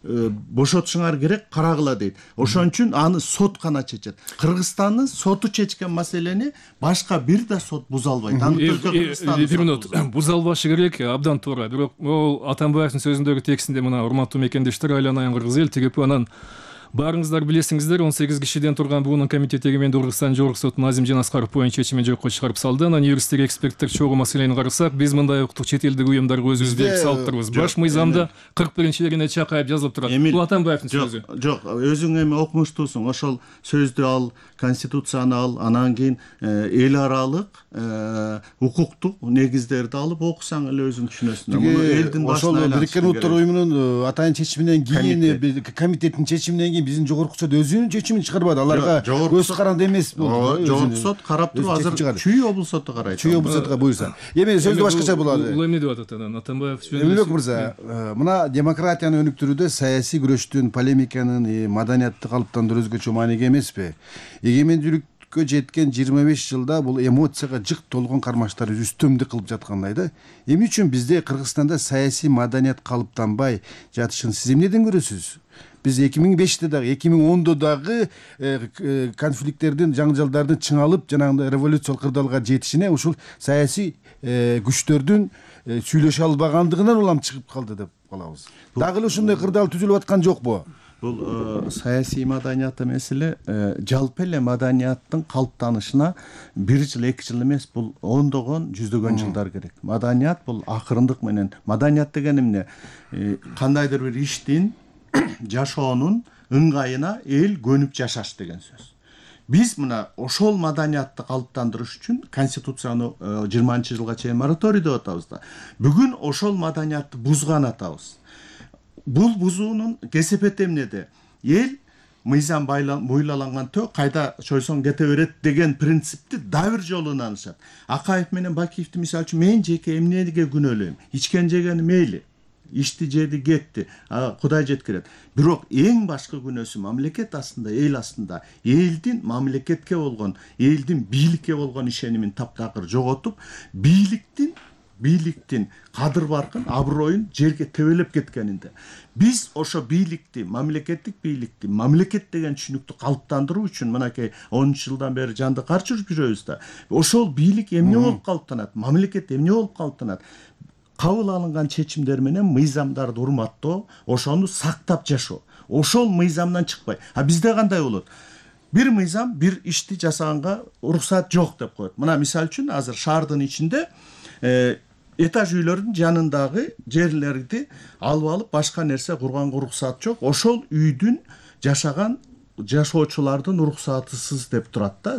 Бошотушуңар керек, карагыла дейт. Ошон үчүн аны сот гана чечет. Кыргызстандын соту чечкен маселени башка бир да сот буза албайт. Аны бир минут буза албашы керек, абдан туура. Бирок ол Атамбаевдин сөзүндөгү текстинде мына урматтуу мекендештер, айланайын кыргыз эл тигип анан баарыңыздар билесиңиздер, он сегиз кишиден турган буунун комитети эгеменди Кыргызстан Жогорку сотунун Азим Жанаскаров боюнча чечимин жокко чыгарып салды. Анан юристтер, эксперттер чогуу маселени карасак, биз мындай укуктук чет элдик уюмдарга өзүбүз берип салып турбуз. Баш мыйзамда кырк биринчи легине чакайып жазылып турат. Бул Атамбаевдин сөзү. Жок, өзүң эми окумуштуусуң. Ошол сөздү ал, конституцияны ал, анан кийин эл аралык укуктук негиздерди алып окусаң эле өзүң түшүнөсүң. Муну элдин башына ошол Бириккен Улуттар Уюмунун атайын чечиминен кийин, комитеттин чечиминен кийин биздин жогорку сот өзүнүн чечимин чыгарбады. Аларга көз каранды эмес болду. Жогорку сот карап туруп, азыр Чүй облус соту карайт. Чүй облус сотуга буйрса. Эми сөздү башкача болот. Бул эмне деп атат анан Атамбаев? Эмилбек мырза, мына демократияны өнүктүрүүдө саясий күрөштүн, полемиканын, маданиятты калыптандыруу өзгөчө мааниге эмеспи? Эгемендүүлүккө жеткен жыйырма беш жылда бул эмоцияга жык толгон кармаштар үстөмдүк кылып жаткандай да. Эмне үчүн бизде Кыргызстанда саясий маданият калыптанбай жатышын сиз эмнеден көрөсүз? Биз эки миң беште дагы, эки миң ондо дагы конфликттердин, жаңжалдардын чыңалып, жанагындай революциялык кырдаалга жетишине ушул саясий күчтөрдүн сүйлөшө албагандыгынан улам чыгып калды деп калабыз. Дагы эле ушундай кырдаал түзүлүп аткан жокпу? Бул саясий маданият эмес эле, жалпы эле маданияттын калыптанышына бир жыл, эки жыл эмес, бул ондогон, жүздөгөн жылдар керек. Маданият бул акырындык менен. Маданият деген эмне? Кандайдыр бир иштин, жашоонун ыңгайына эл көнүп жашаш деген сөз. Биз мына ошол маданиятты калыптандырыш үчүн конституцияны жыйырманчы жылга чейин мораторий деп атабыз да. Бүгүн ошол маданиятты бузган атабыз. Бул бузуунун кесепети эмнеде? Эл мыйзам бойлаланган тө кайда чойсоң кете берет деген принципти да бир жолу ынанышат. Акаев менен Бакиевди мисалы үчүн мен жеке эмнеге күнөөлөйм? Ичкен жегени мейли. ишти жеди кетти, Кудай жеткирет. Бирок эң башкы күнөөсү мамлекет астында, эл астында элдин мамлекетке болгон, элдин бийликке болгон ишенимин таптакыр жоготуп, бийликтин бийликтин кадыр баркын, аброюн жерге тебелеп кеткенинде биз ошо бийликти, мамлекеттик бийликти, мамлекет деген түшүнүктү калыптандыруу үчүн мынакей онунчу жылдан бери жанды карчырып жүрөбүз да. Ошол бийлик эмне болуп калыптанат, мамлекет эмне болуп калыптанат? Кабыл алынган чечимдер менен мыйзамдарды урматтоо, ошону сактап жашоо. Ошол мыйзамдан чыкпай. А бизде кандай болот? Бир мыйзам бир ишти жасаганга уруксат жок деп коет. Мына мисалы үчүн азыр шаардын ичинде этаж үйлөрдүн жанындагы жерлерди алып алып башка нерсе курганга уруксат жок. Ошол үйдүн жашаган жашоочулардын уруксатысыз деп турат да.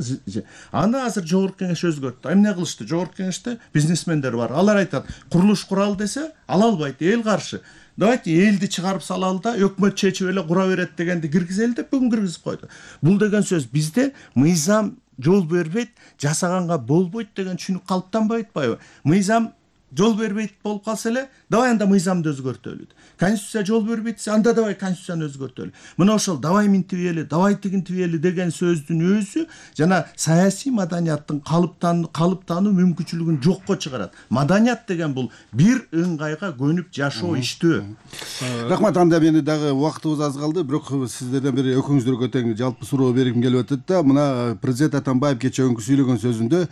Аны азыр жогорку кеңеш өзгөрттү. Эмне кылышты? Жогорку кеңеште бизнесмендер бар. Алар айтат, курулуш куралы десе, ала албайт, эл каршы. Давайте элди чыгарып салалы да, өкмөт чечип эле кура берет дегенди киргизели деп бүгүн киргизип койду. Бул деген сөз бизде мыйзам жол бербейт, жасаганга болбойт деген түшүнүк калыптанбай атпайбы? Мыйзам жол бербейт болуп калса эле, давай анда мыйзамды өзгөртөлү. Конституция жол бербейт десе, анда давай конституцияны өзгөртөлү. Мына ошол давай минтибели, давай тигинтибели деген сөздүн өзү жана саясий маданияттын калыптан калыптануу мүмкүнчүлүгүн жокко чыгарат. Маданият деген бул бир ыңгайга көнүп жашоо иштөө. Рахмат, анда мени дагы убактыбыз аз калды, бирок сиздерден бери экөөңүздөргө тең жалпы суроо бергим келип атат да. Мына президент Атамбаев кечээкүнкү сүйлөгөн сөзүндө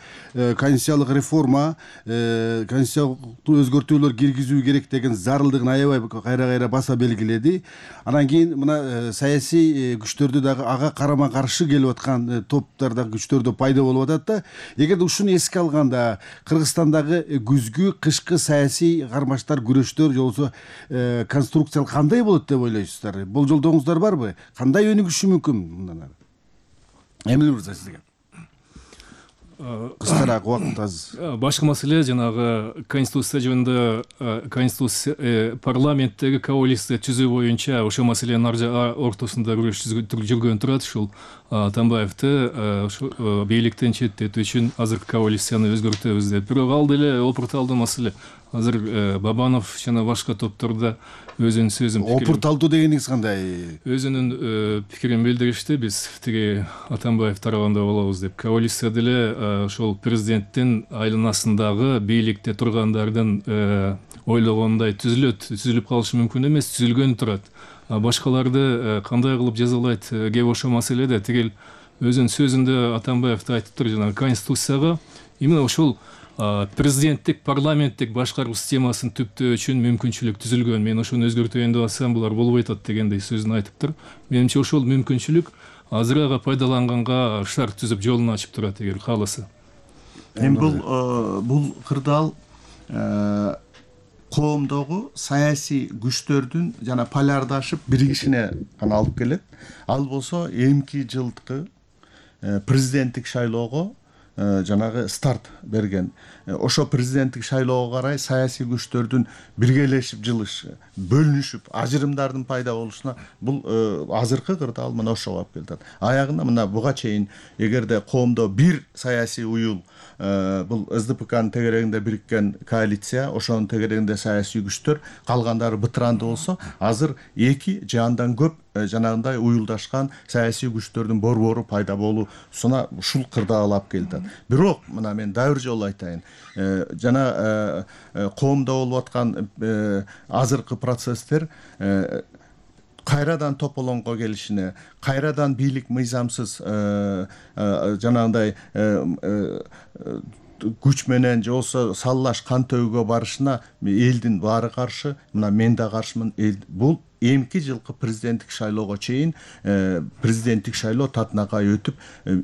конституциялык реформа, конституциялык өзгөртүүлөр киргизүү керек деген зарылдыгын аябай кайра-кайра баса белгиледи. Анан кийин мына саясий күчтөрдү дагы ага карама каршы келип аткан топтор дагы күчтөрдө пайда болуп атат да. Эгерде ушуну эске алганда Кыргызстандагы күзгү, кышкы саясий кармаштар, күрөштөр же болбосо конструкциялык кандай болот деп ойлойсуздар? Болжолдооңуздар барбы? Кандай өнүгүшү мүмкүн мындан ары? Эмне мырза сизге? Кыскараак убакыт аз. Башкы маселе жанагы конституция жөнүндө конституция парламенттеги коалиция түзүү боюнча ошол маселенин ортосунда күрөш жүргөн турат. Ушул Атамбаевди бийликтен четтетүү үчүн азыркы коалицияны өзгөртөбүз деп. Бирок ал деле опурталдуу маселе. Азыр Бабанов жана башка топтордо өзүнүн сөзүн опурталдуу дегениңиз кандай? Өзүнүн пикирин билдиришти. Биз тиги Атамбаев тарабында болобуз деп. Коалиция деле ошол президенттин айланасындагы бийликте тургандардын ойлогондой түзүлөт, түзүлүп калышы мүмкүн эмес, түзүлгөн турат. Башкаларды кандай кылып жазалайт кеп ошол маселеде тигил өзүнүн сөзүндө Атамбаев айтыптыр, жана конституцияга именно ошол президенттик, парламенттик башкаруу системасын түптөө үчүн мүмкүнчүлүк түзүлгөн. Мен ошону өзгөртөйүн деп атсам, булар болбойт атат дегендей сөзүн айтыптыр. Менимче ошол мүмкүнчүлүк азыр ага пайдаланганга шарт түзүп жолун ачып турат эгер кааласа. Эми бул бул кырдаал коомдогу саясий күчтөрдүн жана полярдашып биригишине гана алып келет. Ал болсо эмки жылкы президенттик шайлоого жанагы старт берген. Ошо президенттик шайлоого карай саясий күчтөрдүн биргелешип жылышы, бөлүнүшүп, ажырымдардын пайда болушуна бул азыркы кырдаал мына ошого алып келет. Аягында мына буга чейин эгерде коомдо бир саясий уюл, бул эс дэ пэ канын тегерегинде бириккен коалиция, ошонун тегерегинде саясий күчтөр, калгандары бытыранды болсо, азыр эки же андан көп жанагындай уюлдашкан саясий күчтөрдүн борбору пайда болуусуна ушул кырдаал алып келет. Бирок мына мен дагы бир жолу айтайын, жана коомдо болуп аткан азыркы процесстер кайрадан тополоңго келишине, кайрадан бийлик мыйзамсыз жанагындай күч менен же болбосо саллаш кан төгүүгө барышына элдин баары каршы, мына мен да каршымын. Бул эмки жылкы президенттик шайлоого чейин президенттик шайлоо татынакай өтүп,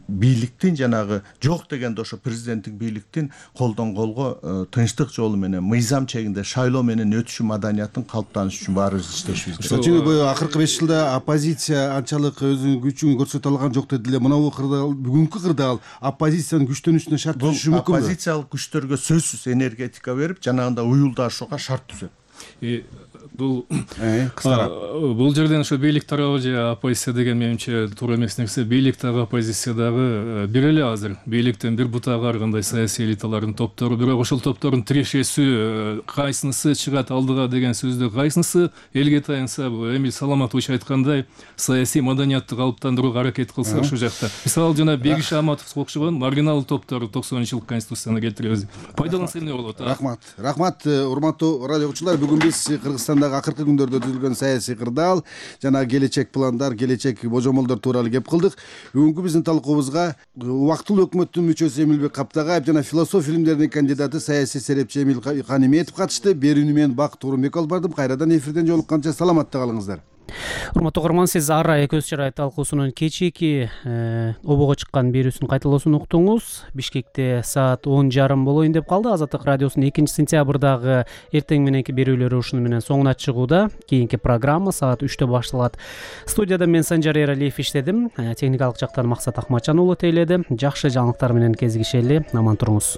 бийликтин жанагы жок дегенде ошо президенттик бийликтин колдон колго тынчтык жолу менен мыйзам чегинде шайлоо менен өтүшү маданиятын калыптанышы үчүн баарыбыз иштешибиз керек. Чүнү акыркы беш жылда оппозиция анчалык өзүнүн күчүн көрсөтө алган жок деди эле. Мына бул кырдаал, бүгүнкү кырдаал оппозициянын күчтөнүшүнө шарт түзүшү мүмкүнбү? Оппозициялык күчтөргө сөзсүз энергетика берип, жанагындай уюлдашууга шарт түзөт. бул кыскараак бул жерден ошо бийлик тарабы же оппозиция деген менимче туура эмес нерсе. Бийлик дагы оппозиция дагы бир эле азыр. Бийликтен бир бутагы ар кандай саясий элиталардын топтору, бирок ошол топтордун тирешеси кайсынысы чыгат алдыга деген сөздү, кайсынысы элге таянса, Эмиль Саламатович айткандай саясий маданиятты калыптандырууга аракет кылса ошол жакта. Мисалы жана Бегиш Аматов окшогон маргинал топтор токсонунчу жылкы конституцияны келтиребиз. Пайдаланса эмне болот? Рахмат. Рахмат, урматтуу радио окуучулар. Бүгүн биз Кыргызстандагы акыркы күндөрдө түзүлгөн саясий кырдаал жана келечек пландар, келечек божомолдор тууралуу кеп кылдык. Бүгүнкү биздин талкуубузга убактылуу өкмөттүн мүчөсү Эмилбек Каптагаев жана философия илимдеринин кандидаты саясий серепчи Эмил Каниметов катышты. Берүүнү мен Бак Турунбек алып бардым. Кайрадан эфирден жолукканча саламатта калыңыздар. Урматтуу угарман, сиз ар ай көз чырай талкуусунун кечээки обого чыккан берүүсүн кайталоосун уктуңуз. Бишкекте саат он жарым болоюн деп калды. Азаттык радиосунун экинчи сентябрдагы эртең мененки берүүлөрү ушуну менен соңуна чыгууда. Кийинки программа саат үчтө башталат. Студияда мен Санжар Эралиев иштедим. Техникалык жактан Максат Акматжан уулу тейледи. Жакшы жаңылыктар менен кезигишели. Аман туруңуз.